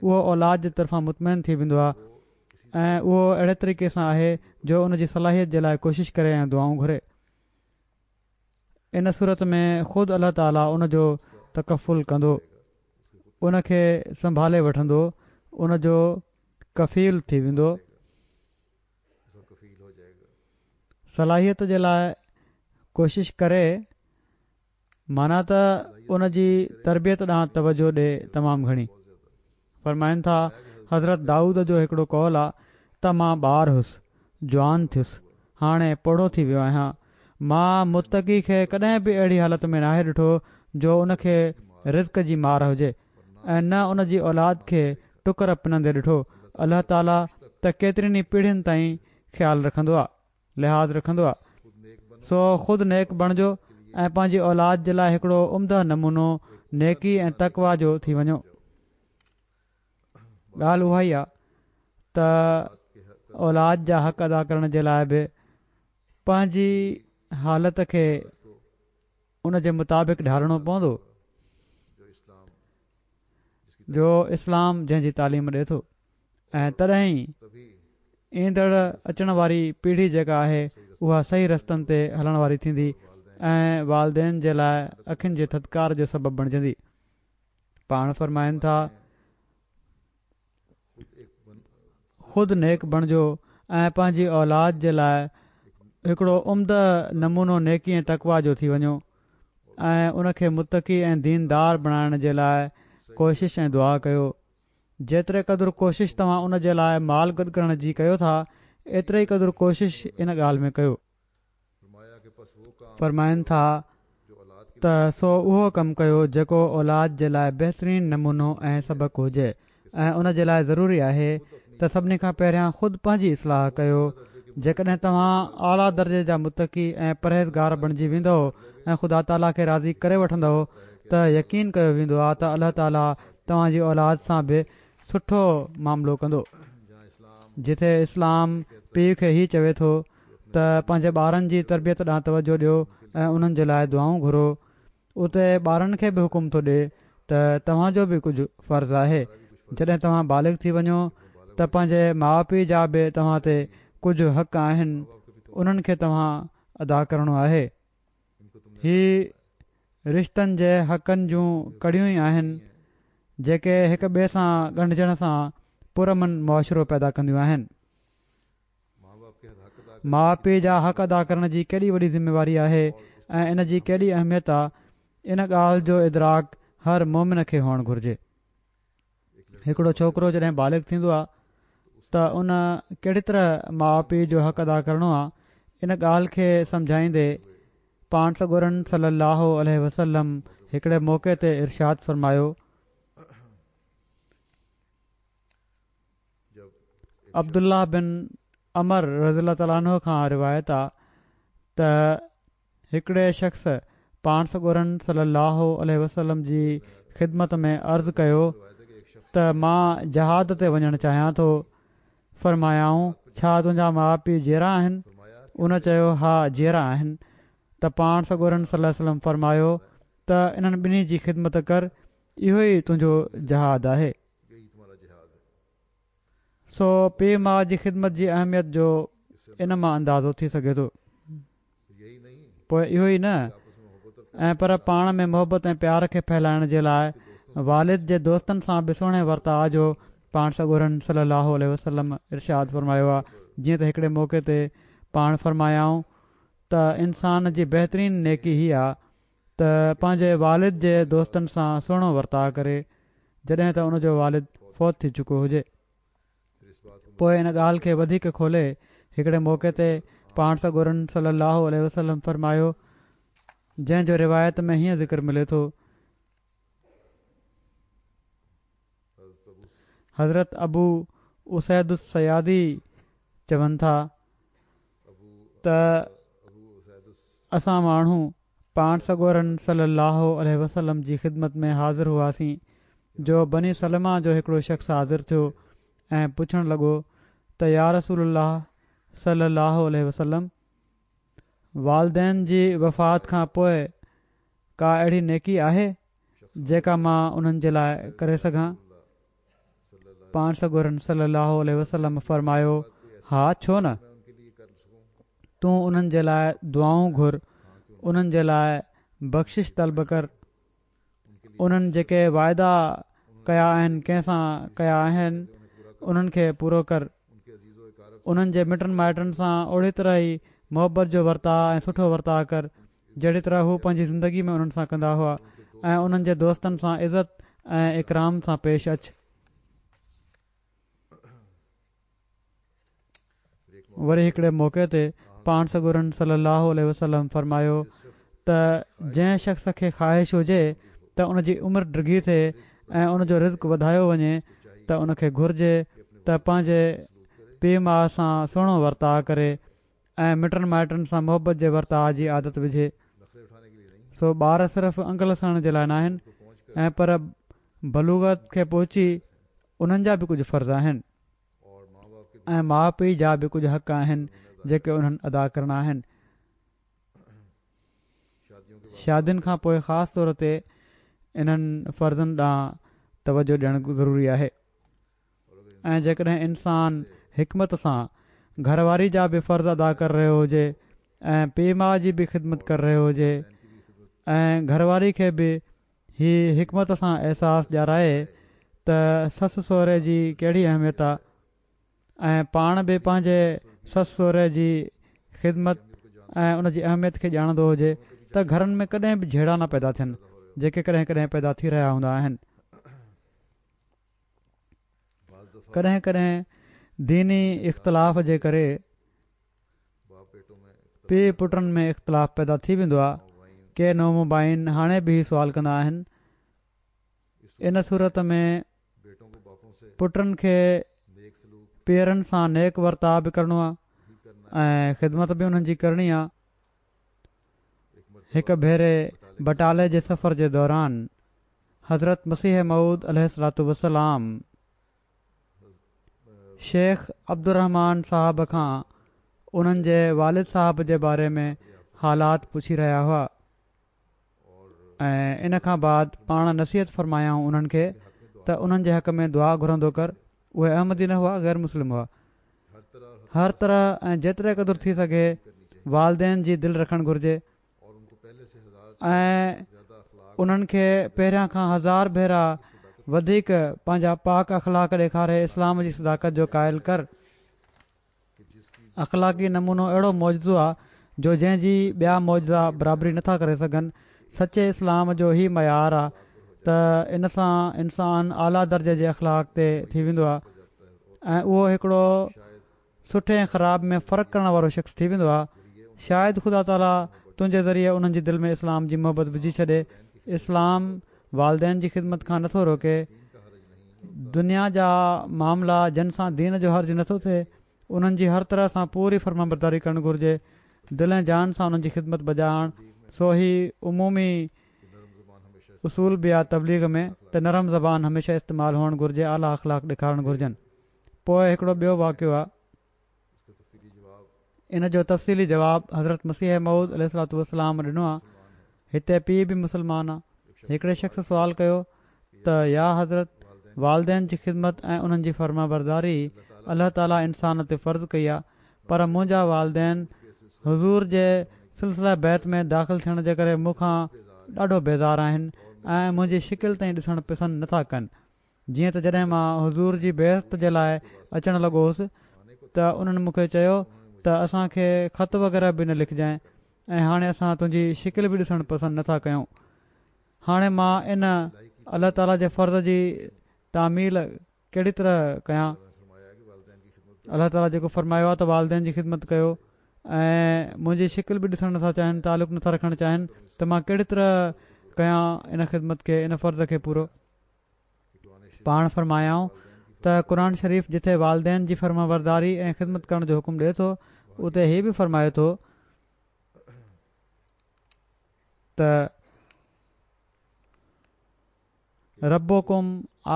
اهو اولاد جي طرفان مطمئن ٿي ويندو آهي ۽ اهو اهڙي طريقي سان آهي جو ان جي صلاحيت جي لاءِ ڪوشش ڪري ۽ دعائون گهري. ان صورت ۾ خود الله تعاليٰ ان جو تڪفل ڪندو، ان کي سنڀالي وٺندو، ان جو ڪفيل ٿي ويندو. صلاحيت جي لاءِ ڪوشش ڪري معنيٰ ته ان جي تربيت ڏانهن توجهه ڏي تمام گهڻي. فرمائن ٿا حضرت دائود جو هڪڙو قول آ ته مان ٻار هئس، جوان ٿيس، هاڻي پوڙهو ٿي ويو آهيان. مان متقي کي ڪڏهن به اهڙي حالت ۾ ناهي ڏٺو جو ان کي رزق جي مار هجي ۽ نه ان جي اولاد کي ٽڪر پنندي ڏٺو. الله تعاليٰ ته ڪيترين ئي پيڙهين تائين خيال رکندو آ، لحاظ رکندو آ. سو خود نيڪ بڻجو ۽ پنهنجي اولاد جي لاءِ هڪڙو عمده نمونو نيڪي ۽ تقويٰ جو ٿي وڃو. ڳالهه اها ئي آ ته اولاد جا حق ادا ڪرڻ جي لاءِ به پنهنجي حالت کي ان جي مطابق ڍالڻو پوندو جو اسلام جنهن جي تعليم ڏئي ٿو ۽ تڏهن ئي ايندڙ اچڻ واري پيڙهي جيڪا آهي اها صحيح رستن تي هلڻ واري ٿيندي ۽ والدين جي لاءِ اکين جي ٿڌڪار جو سبب بڻجندي. پاڻ فرمائن ٿا خود نيڪ بڻجو ۽ پنهنجي اولاد جي لاءِ هڪڙو عمده نمونو نيڪي ۽ تقويٰ جو ٿي وڃو ۽ ان کي متقي ۽ ديندار بڻائڻ جي لاءِ ڪوشش ۽ دعا ڪيو. جيتري قدر ڪوشش توهان ان جي لاءِ مال گڏ ڪرڻ جي ڪيو ٿا ايتري قدر ڪوشش ان ڳالهه ۾ ڪيو. فرمائن ٿا ته سو اهو ڪم ڪيو جيڪو اولاد جي لاءِ بهترين نمونو ۽ سبق هجي ۽ ان جي لاءِ ضروري آهي ته سڀني کان پهريان خود پنهنجي اصلاح ڪيو. جيڪڏهن توهان اعليٰ درجي جا متقي ۽ پرهيزگار بڻجي ويندؤ ۽ خدا تعاليٰ کي راضي ڪري وٺندؤ ته يقين ڪيو ويندو آهي ته الله تعاليٰ توهان جي اولاد سان به سٺو معاملو ڪندو. جتي اسلام پيءُ کي هي چوي ٿو ته پنهنجي ٻارن جي تربيت ڏانهن توجهه ڏيو ۽ انهن جي لاءِ دعائون گهرو، اتي ٻارن کي به حڪم ٿو ڏئي ته توهان جو به ڪجهه فرض آهي. جڏهن توهان بالغ ٿي وڃو ته پنهنجي ماءُ پيءُ جا به توهان تي ڪجهه حق آهن، انهن کي توهان ادا ڪرڻو آهي. هي رشتن جي حقن جون ڪڙيون ئي آهن جيڪي هڪ ٻئي سان ڳنڍجڻ سان پرامن معاشرو پيدا ڪنديون آهن. ماءُ پيءُ جا حق ادا ڪرڻ جي ڪيڏي وڏي ذميواري آهي ۽ ان جي ڪيڏي اهميت آ، ان ڳالهه جو ادراڪ هر مومن کي هئڻ گهرجي. هڪڙو ڇوڪرو جڏهن بالغ ٿيندو آ ته ان ڪهڙي طرح ماءُ پيءُ جو حق ادا ڪرڻو آ، ان ڳالهه کي سمجهائيندي پاڻ سڳورن صلي الله عليه وسلم هڪڙي موقعي تي ارشاد فرمايو، عبدالله بن عمر رضي الله تعاليٰ عنه کان روايت آ ته هڪڙي شخص پاڻ سڳورن صلي الله عليه وسلم جي خدمت ۾ عرض ڪيو ته مان جهاد تي وڃڻ چاهيان ٿو. فرمايائون ڇا تنهنجا ماءُ پيءُ جيئرا آهن؟ ان چيو ها جيئرا آهن. ته پاڻ سڳورن صلي الله عليه وسلم فرمايو ته انهن ٻنهي جي خدمت ڪر، اهو ئي تنهنجو جهاد آهي. سو پيءُ ماءُ جي خدمت جي اهميت جو ان مان اندازو ٿي سگهي ٿو. پوءِ اهو ئي نه ۽ پر پاڻ ۾ محبت ۽ پيار کي ڦهلائڻ جي لاءِ والد جي دوستن سان به سهڻي ورتاءُ جو پاڻ سڳورن صلي الله عليه وسلم ارشاد فرمايو آهي. جيئن ته هڪڙي موقعي تي پاڻ فرمايائون ته انسان جي بهترين نيڪي هي آهي ته پنهنجي والد جي دوستن سان سهڻو ورتاءُ ڪري جڏهن ته ان جو والد فوت ٿي چڪو هجي. پوءِ ان ڳالهه کي وڌيڪ کولي هڪڙي موقعي تي پاڻ سڳورن صلي الله عليه وسلم فرمايو، جنهن جو روايت ۾ هيئن ذڪر ملي ٿو. حضرت ابو اسيد الصيادي چون ٿا ته اسان ماڻهو پاڻ سڳورن صلي الله عليه وسلم جي خدمت ۾ حاضر هئاسين جو بني سلمه جو هڪڙو شخص حاضر ٿيو ۽ پڇڻ لڳو ته يا رسول الله صلي الله عليه وسلم، والدين جي وفات کان پوءِ ڪا اهڙي نيڪي آهي جيڪا مان انهن جي لاءِ ڪري سگهان؟ پاڻ سڳورن صلي الله عليه وسلم فرمايو، ها ڇو نه، تون انهن جي لاءِ دعائون گهر، انهن جي لاءِ بخشش طلب ڪر، انهن جيڪي واعدا ڪيا آهن ڪنهن سان ڪيا آهن انهن کي پورو ڪر، انهن جي مٽن مائٽن سان اهڙي طرح ئي محبت جو ورتاءُ ۽ سٺو ورتاءُ ڪر جهڙي طرح هو پنهنجي زندگي ۾ انهن سان ڪندا هئا، ۽ انهن جي دوستن سان عزت ۽ اڪرام سان پيش اچ. وري هڪڙي موقعي تي پاڻ سڳورن صلي الله عليه وسلم فرمايو ته جنهن شخص کي خواهش هجي ته ان جي عمر ڊگهي ٿئي ۽ ان جو رزق وڌايو وڃي ته ان کي گهرجي ته پنهنجي پيءُ ماءُ سان سهڻو ورتاءُ ڪري ۽ مٽن مائٽن سان محبت جي ورتاءُ جي عادت وجهي. سو ٻار صرف انگل سهڻ جي لاءِ ناهن ۽ پر بلوغت کي پهچي انهن جا به ڪجهه فرض آهن ۽ ماءُ پيءُ جا به ڪجهه حق آهن جيڪي انهن ادا ڪرڻا آهن. شادين کان پوءِ خاص طور تي انهن فرضن ڏانهن توجهه ڏيڻ ضروري آهي. ۽ جيڪڏهن انسان حڪمت سان گهر واري جا به فرض ادا ڪري رهيو هجي ۽ پيءُ ماءُ جي به خدمت ڪري رهيو هجي ۽ گهر واري کي به هي حڪمت سان احساس ڏيارائي ته سس سهري جي ڪهڙي اهميت آهي ۽ پاڻ به پنهنجي سس سهري جي خدمت ۽ ان جي اهميت کي ڄاڻندو هجي ته گهرن ۾ ڪڏهن به جهيڙا نه پيدا ٿين جيڪي ڪڏهن ڪڏهن پيدا ٿي رهيا هوندا آهن. ڪڏهن ڪڏهن ديني اختلاف جي ڪري پيءُ پٽن ۾ اختلاف پيدا ٿي ويندو آهي. ڪي نومبائعين هاڻي به هي سوال ڪندا آهن، ان صورت ۾ پٽن کي پيئرن سان نيڪ ورتاءُ به ڪرڻو آهي ۽ خدمت به انهن جي ڪرڻي آهي. هڪ ڀيري بٽالي جي سفر جي دوران حضرت مسيح موعود عليه الصلوة والسلام شيخ عبدالرحمان صاحب کان انهن جي والد صاحب جي باري ۾ حالات پڇي رهيا هئا ۽ ان کان بعد پاڻ نصيحت فرمايائون انهن کي ته انهن جي حق ۾ دعا گهرندو ڪر. اهي احمدي نه هئا، غير مسلم هئا. هر طرح ۽ جيتري قدر ٿي سگهي والدين جي دل رکڻ گهرجي ۽ انهن کي پهريان کان هزار ڀيرا وڌيڪ پنهنجا پاڪ اخلاق ڏيکاري اسلام جي صداقت جو قائل ڪر. اخلاقي نمونو اهڙو معجزو آهي جو جنهن جي ٻيا معجزا برابري نٿا ڪري سگهن. سچي اسلام جو هي معيار آهي ته ان سان انسان اعليٰ درجي جي اخلاق تي ٿي ويندو آهي ۽ اهو هڪڙو سٺي ۽ خراب ۾ فرق ڪرڻ وارو شخص ٿي ويندو آهي. شايد خدا تعاليٰ تنهنجي ذريعي انهن جي دل ۾ اسلام جي محبت وجهي ڇڏي. اسلام والدين جي خدمت کان نٿو روڪي. دنيا جا معاملا جن سان دين جو حرج نٿو ٿئي انهن جي هر طرح سان پوري فرمانبرداري ڪرڻ گهرجي. دل ۽ جان سان انهن جي خدمت بجا آڻ. سو هي عمومي اصول به آهي تبليغ ۾ ته نرم زبان هميشه استعمال هئڻ گهرجي، اعليٰ اخلاق ڏيکارڻ گهرجن. پوءِ هڪڙو ٻيو واقعو آهي، ان جو تفصيلي جواب حضرت مسيح موعود عليه الصلوة والسلام ڏنو آهي. هتي پيءُ به مسلمان آهي. هڪڙي شخص سوال ڪيو ته يا حضرت، والدين جي خدمت ۽ انهن جي فرمانبرداري الله تعاليٰ انسان تي فرض ڪئي آهي، پر منهنجا والدين حضور جي سلسله بيعت ۾ داخل ٿيڻ جي ڪري مون کان ڏاڍو بيزار آهن ۽ منهنجي شڪل تائين ڏسڻ پسند نٿا ڪن. جيئن ته جڏهن مان حضور جي بيعت جي لاءِ اچڻ لڳو هوس ته انهن مون کي چيو ته اسان کي خط وغيره به نه لکجانءِ ۽ هاڻي اسان تنهنجي شڪل به ڏسڻ پسند نٿا ڪيون. هاڻي مان ان الله تعاليٰ جي فرض جي تعميل ڪهڙي طرح ڪيان؟ الله تعاليٰ جيڪو فرمايو آهي ته والدين جي خدمت ڪيو ۽ منهنجي شڪل به ڏسڻ نٿا چاهين، تعلق نٿا رکڻ چاهين ته مان ڪهڙي طرح ڪيان ان خدمت کي، ان فرض کي پورو. پاڻ فرمايائون ته قرآن شريف جتي والدين جي فرمانبرداري ۽ خدمت ڪرڻ جو حڪم ڏئي ٿو، اتي هي به فرمائي ٿو ته ربڪم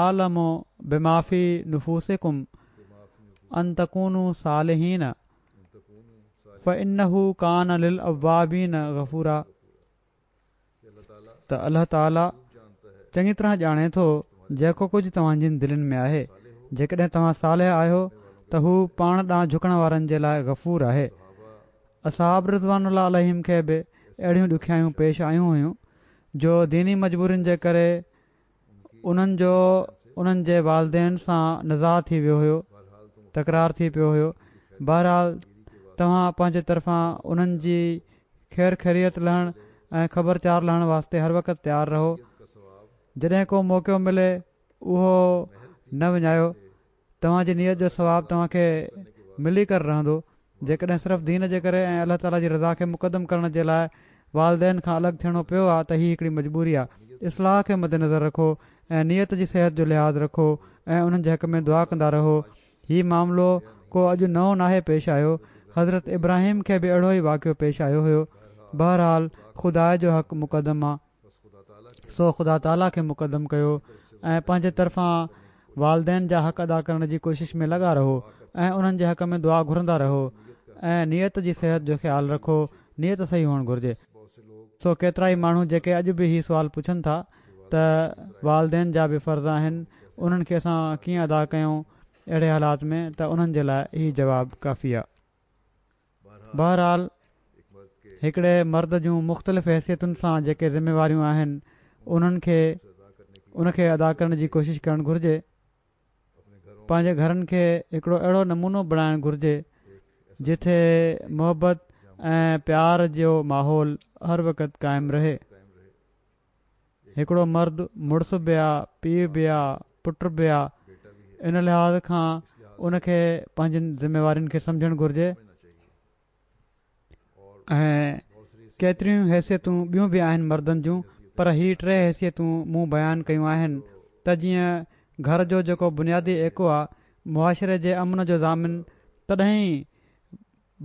اعلم بما في نفوسڪم ان تڪونوا صالحين فانه ڪان للاوابين غفورا، ته الله تعاليٰ چڱي طرح ڄاڻي ٿو جيڪو ڪجهه توهان جن دلين ۾ آهي. جيڪڏهن توهان صالح آهيو ته هو پاڻ ڏانهن جهڪڻ وارن جي لاءِ غفور آهي. اصحاب رضوان الله عليهم کي به اهڙيون ڏکيائيون پيش آيون هيون جو ديني مجبورين جي ڪري انهن جو انهن جي والدين سان نزاع ٿي ويو هيو، تڪرار ٿي پيو هيو. بهرحال توهان پنهنجي طرفان انهن جي خير خيريت لهڻ ۽ خبرچار لهڻ واسطي هر وقت تيار رهو. جڏهن ڪو موقعو ملي اهو نه وڃايو. توهان جي نيت جو ثواب توهان کي ملي ڪري رهندو. جيڪڏهن صرف دين جي ڪري ۽ الله تعاليٰ جي رضا کي مقدم ڪرڻ جي لاءِ والدين کان الڳ ٿيڻو پيو آهي ته هي هڪڙي مجبوري آهي. اصلاح کي مدنظر رکو ۽ نيت جي صحت جو لحاظ رکو ۽ انهن جي حق ۾ دعا ڪندا رهو. هي معاملو ڪو اڄ نئون ناهي پيش آيو. حضرت ابراهيم کي به اهڙو ئي واقعو پيش آيو هيو. بهرحال خدا جو حق مقدم آ، سو خدا تعاليٰ کي مقدم ڪيو ۽ پنهنجي طرفان والدين جا حق ادا ڪرڻ جي ڪوشش ۾ لڳا رهو ۽ انهن جي حق ۾ دعا گهرندا رهو ۽ نيت جي صحت جو خيال رکو. نيت صحيح هئڻ گهرجي. سو ڪيترائي ماڻهو جيڪي اڄ به هي سوال پڇن ٿا ته والدين جا به فرض آهن، انهن کي اسان ڪيئن ادا ڪيون اهڙي حالات ۾، ته انهن جي لاءِ هي جواب ڪافي آهي. بهرحال هڪڙي مرد جون مختلف حيثيتن سان جيڪي ذميواريون آهن انهن کي ان کي ادا ڪرڻ جي ڪوشش ڪرڻ گهرجي. پنهنجي گهرن کي هڪڙو اهڙو نمونو بڻائڻ گهرجي جتي محبت ۽ پيار جو ماحول هر وقت قائم رهي. هڪڙو مرد مڙس به آ، پيءُ به آ، پٽ به آ، ان لحاظ کان ان کي پنهنجين ذميوارين کي سمجهڻ گهرجي. ۽ ڪيتريون حيثيتون ٻيون به آهن مردن جون، پر هي ٽي حيثيتون مون بيان ڪيون آهن ته جيئن گهر جو جيڪو بنيادي ايڪو آ، معاشري جي امن جو ضامن تڏهن ئي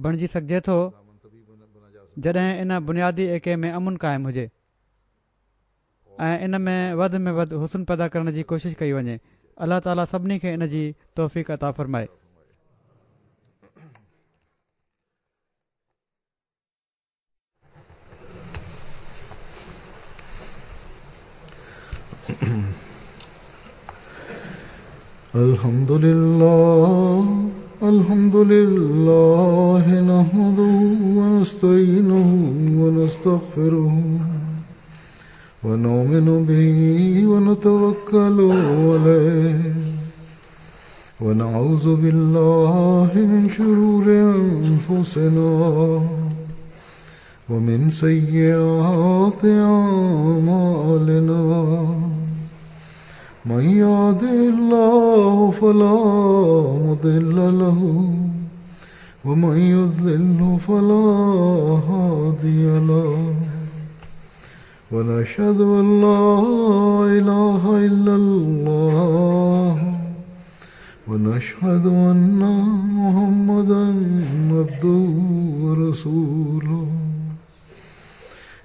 بڻجي سگهجي ٿو جڏهن ان بنيادي ايڪي ۾ امن قائم هجي ۽ ان ۾ وڌ ۾ وڌ حسن پيدا ڪرڻ جي ڪوشش ڪئي وڃي. الله تعاليٰ سڀني کي ان جي توفيق عطا فرمائي. الحمد لله الحمد لله نحمده ونستعينه ونستغفره ونؤمن به ونتوكل عليه ونعوذ بالله من شرور أنفسنا ومن سيئات أعمالنا من يهده الله فلا مضل له ومن يضلل فلا هادي له ونشهد أن لا إله إلا الله ونشهد أن محمدا عبده ورسوله.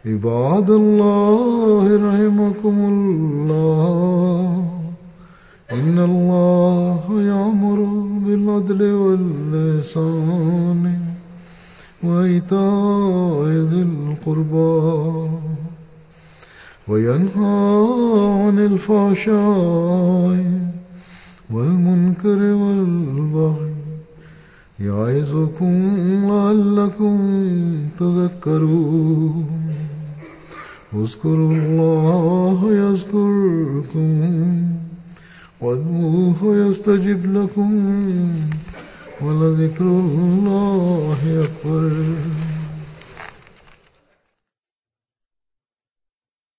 عباد الله رحمكم الله، إن الله يأمر بالعدل والإحسان وإيتاء ذي القربى وينهى عن الفحشاء والمنكر والبغي يعظكم لعلكم تذكرون. اذكروا الله يذكركم وادعوه يستجب لكم ولذكر الله أكبر.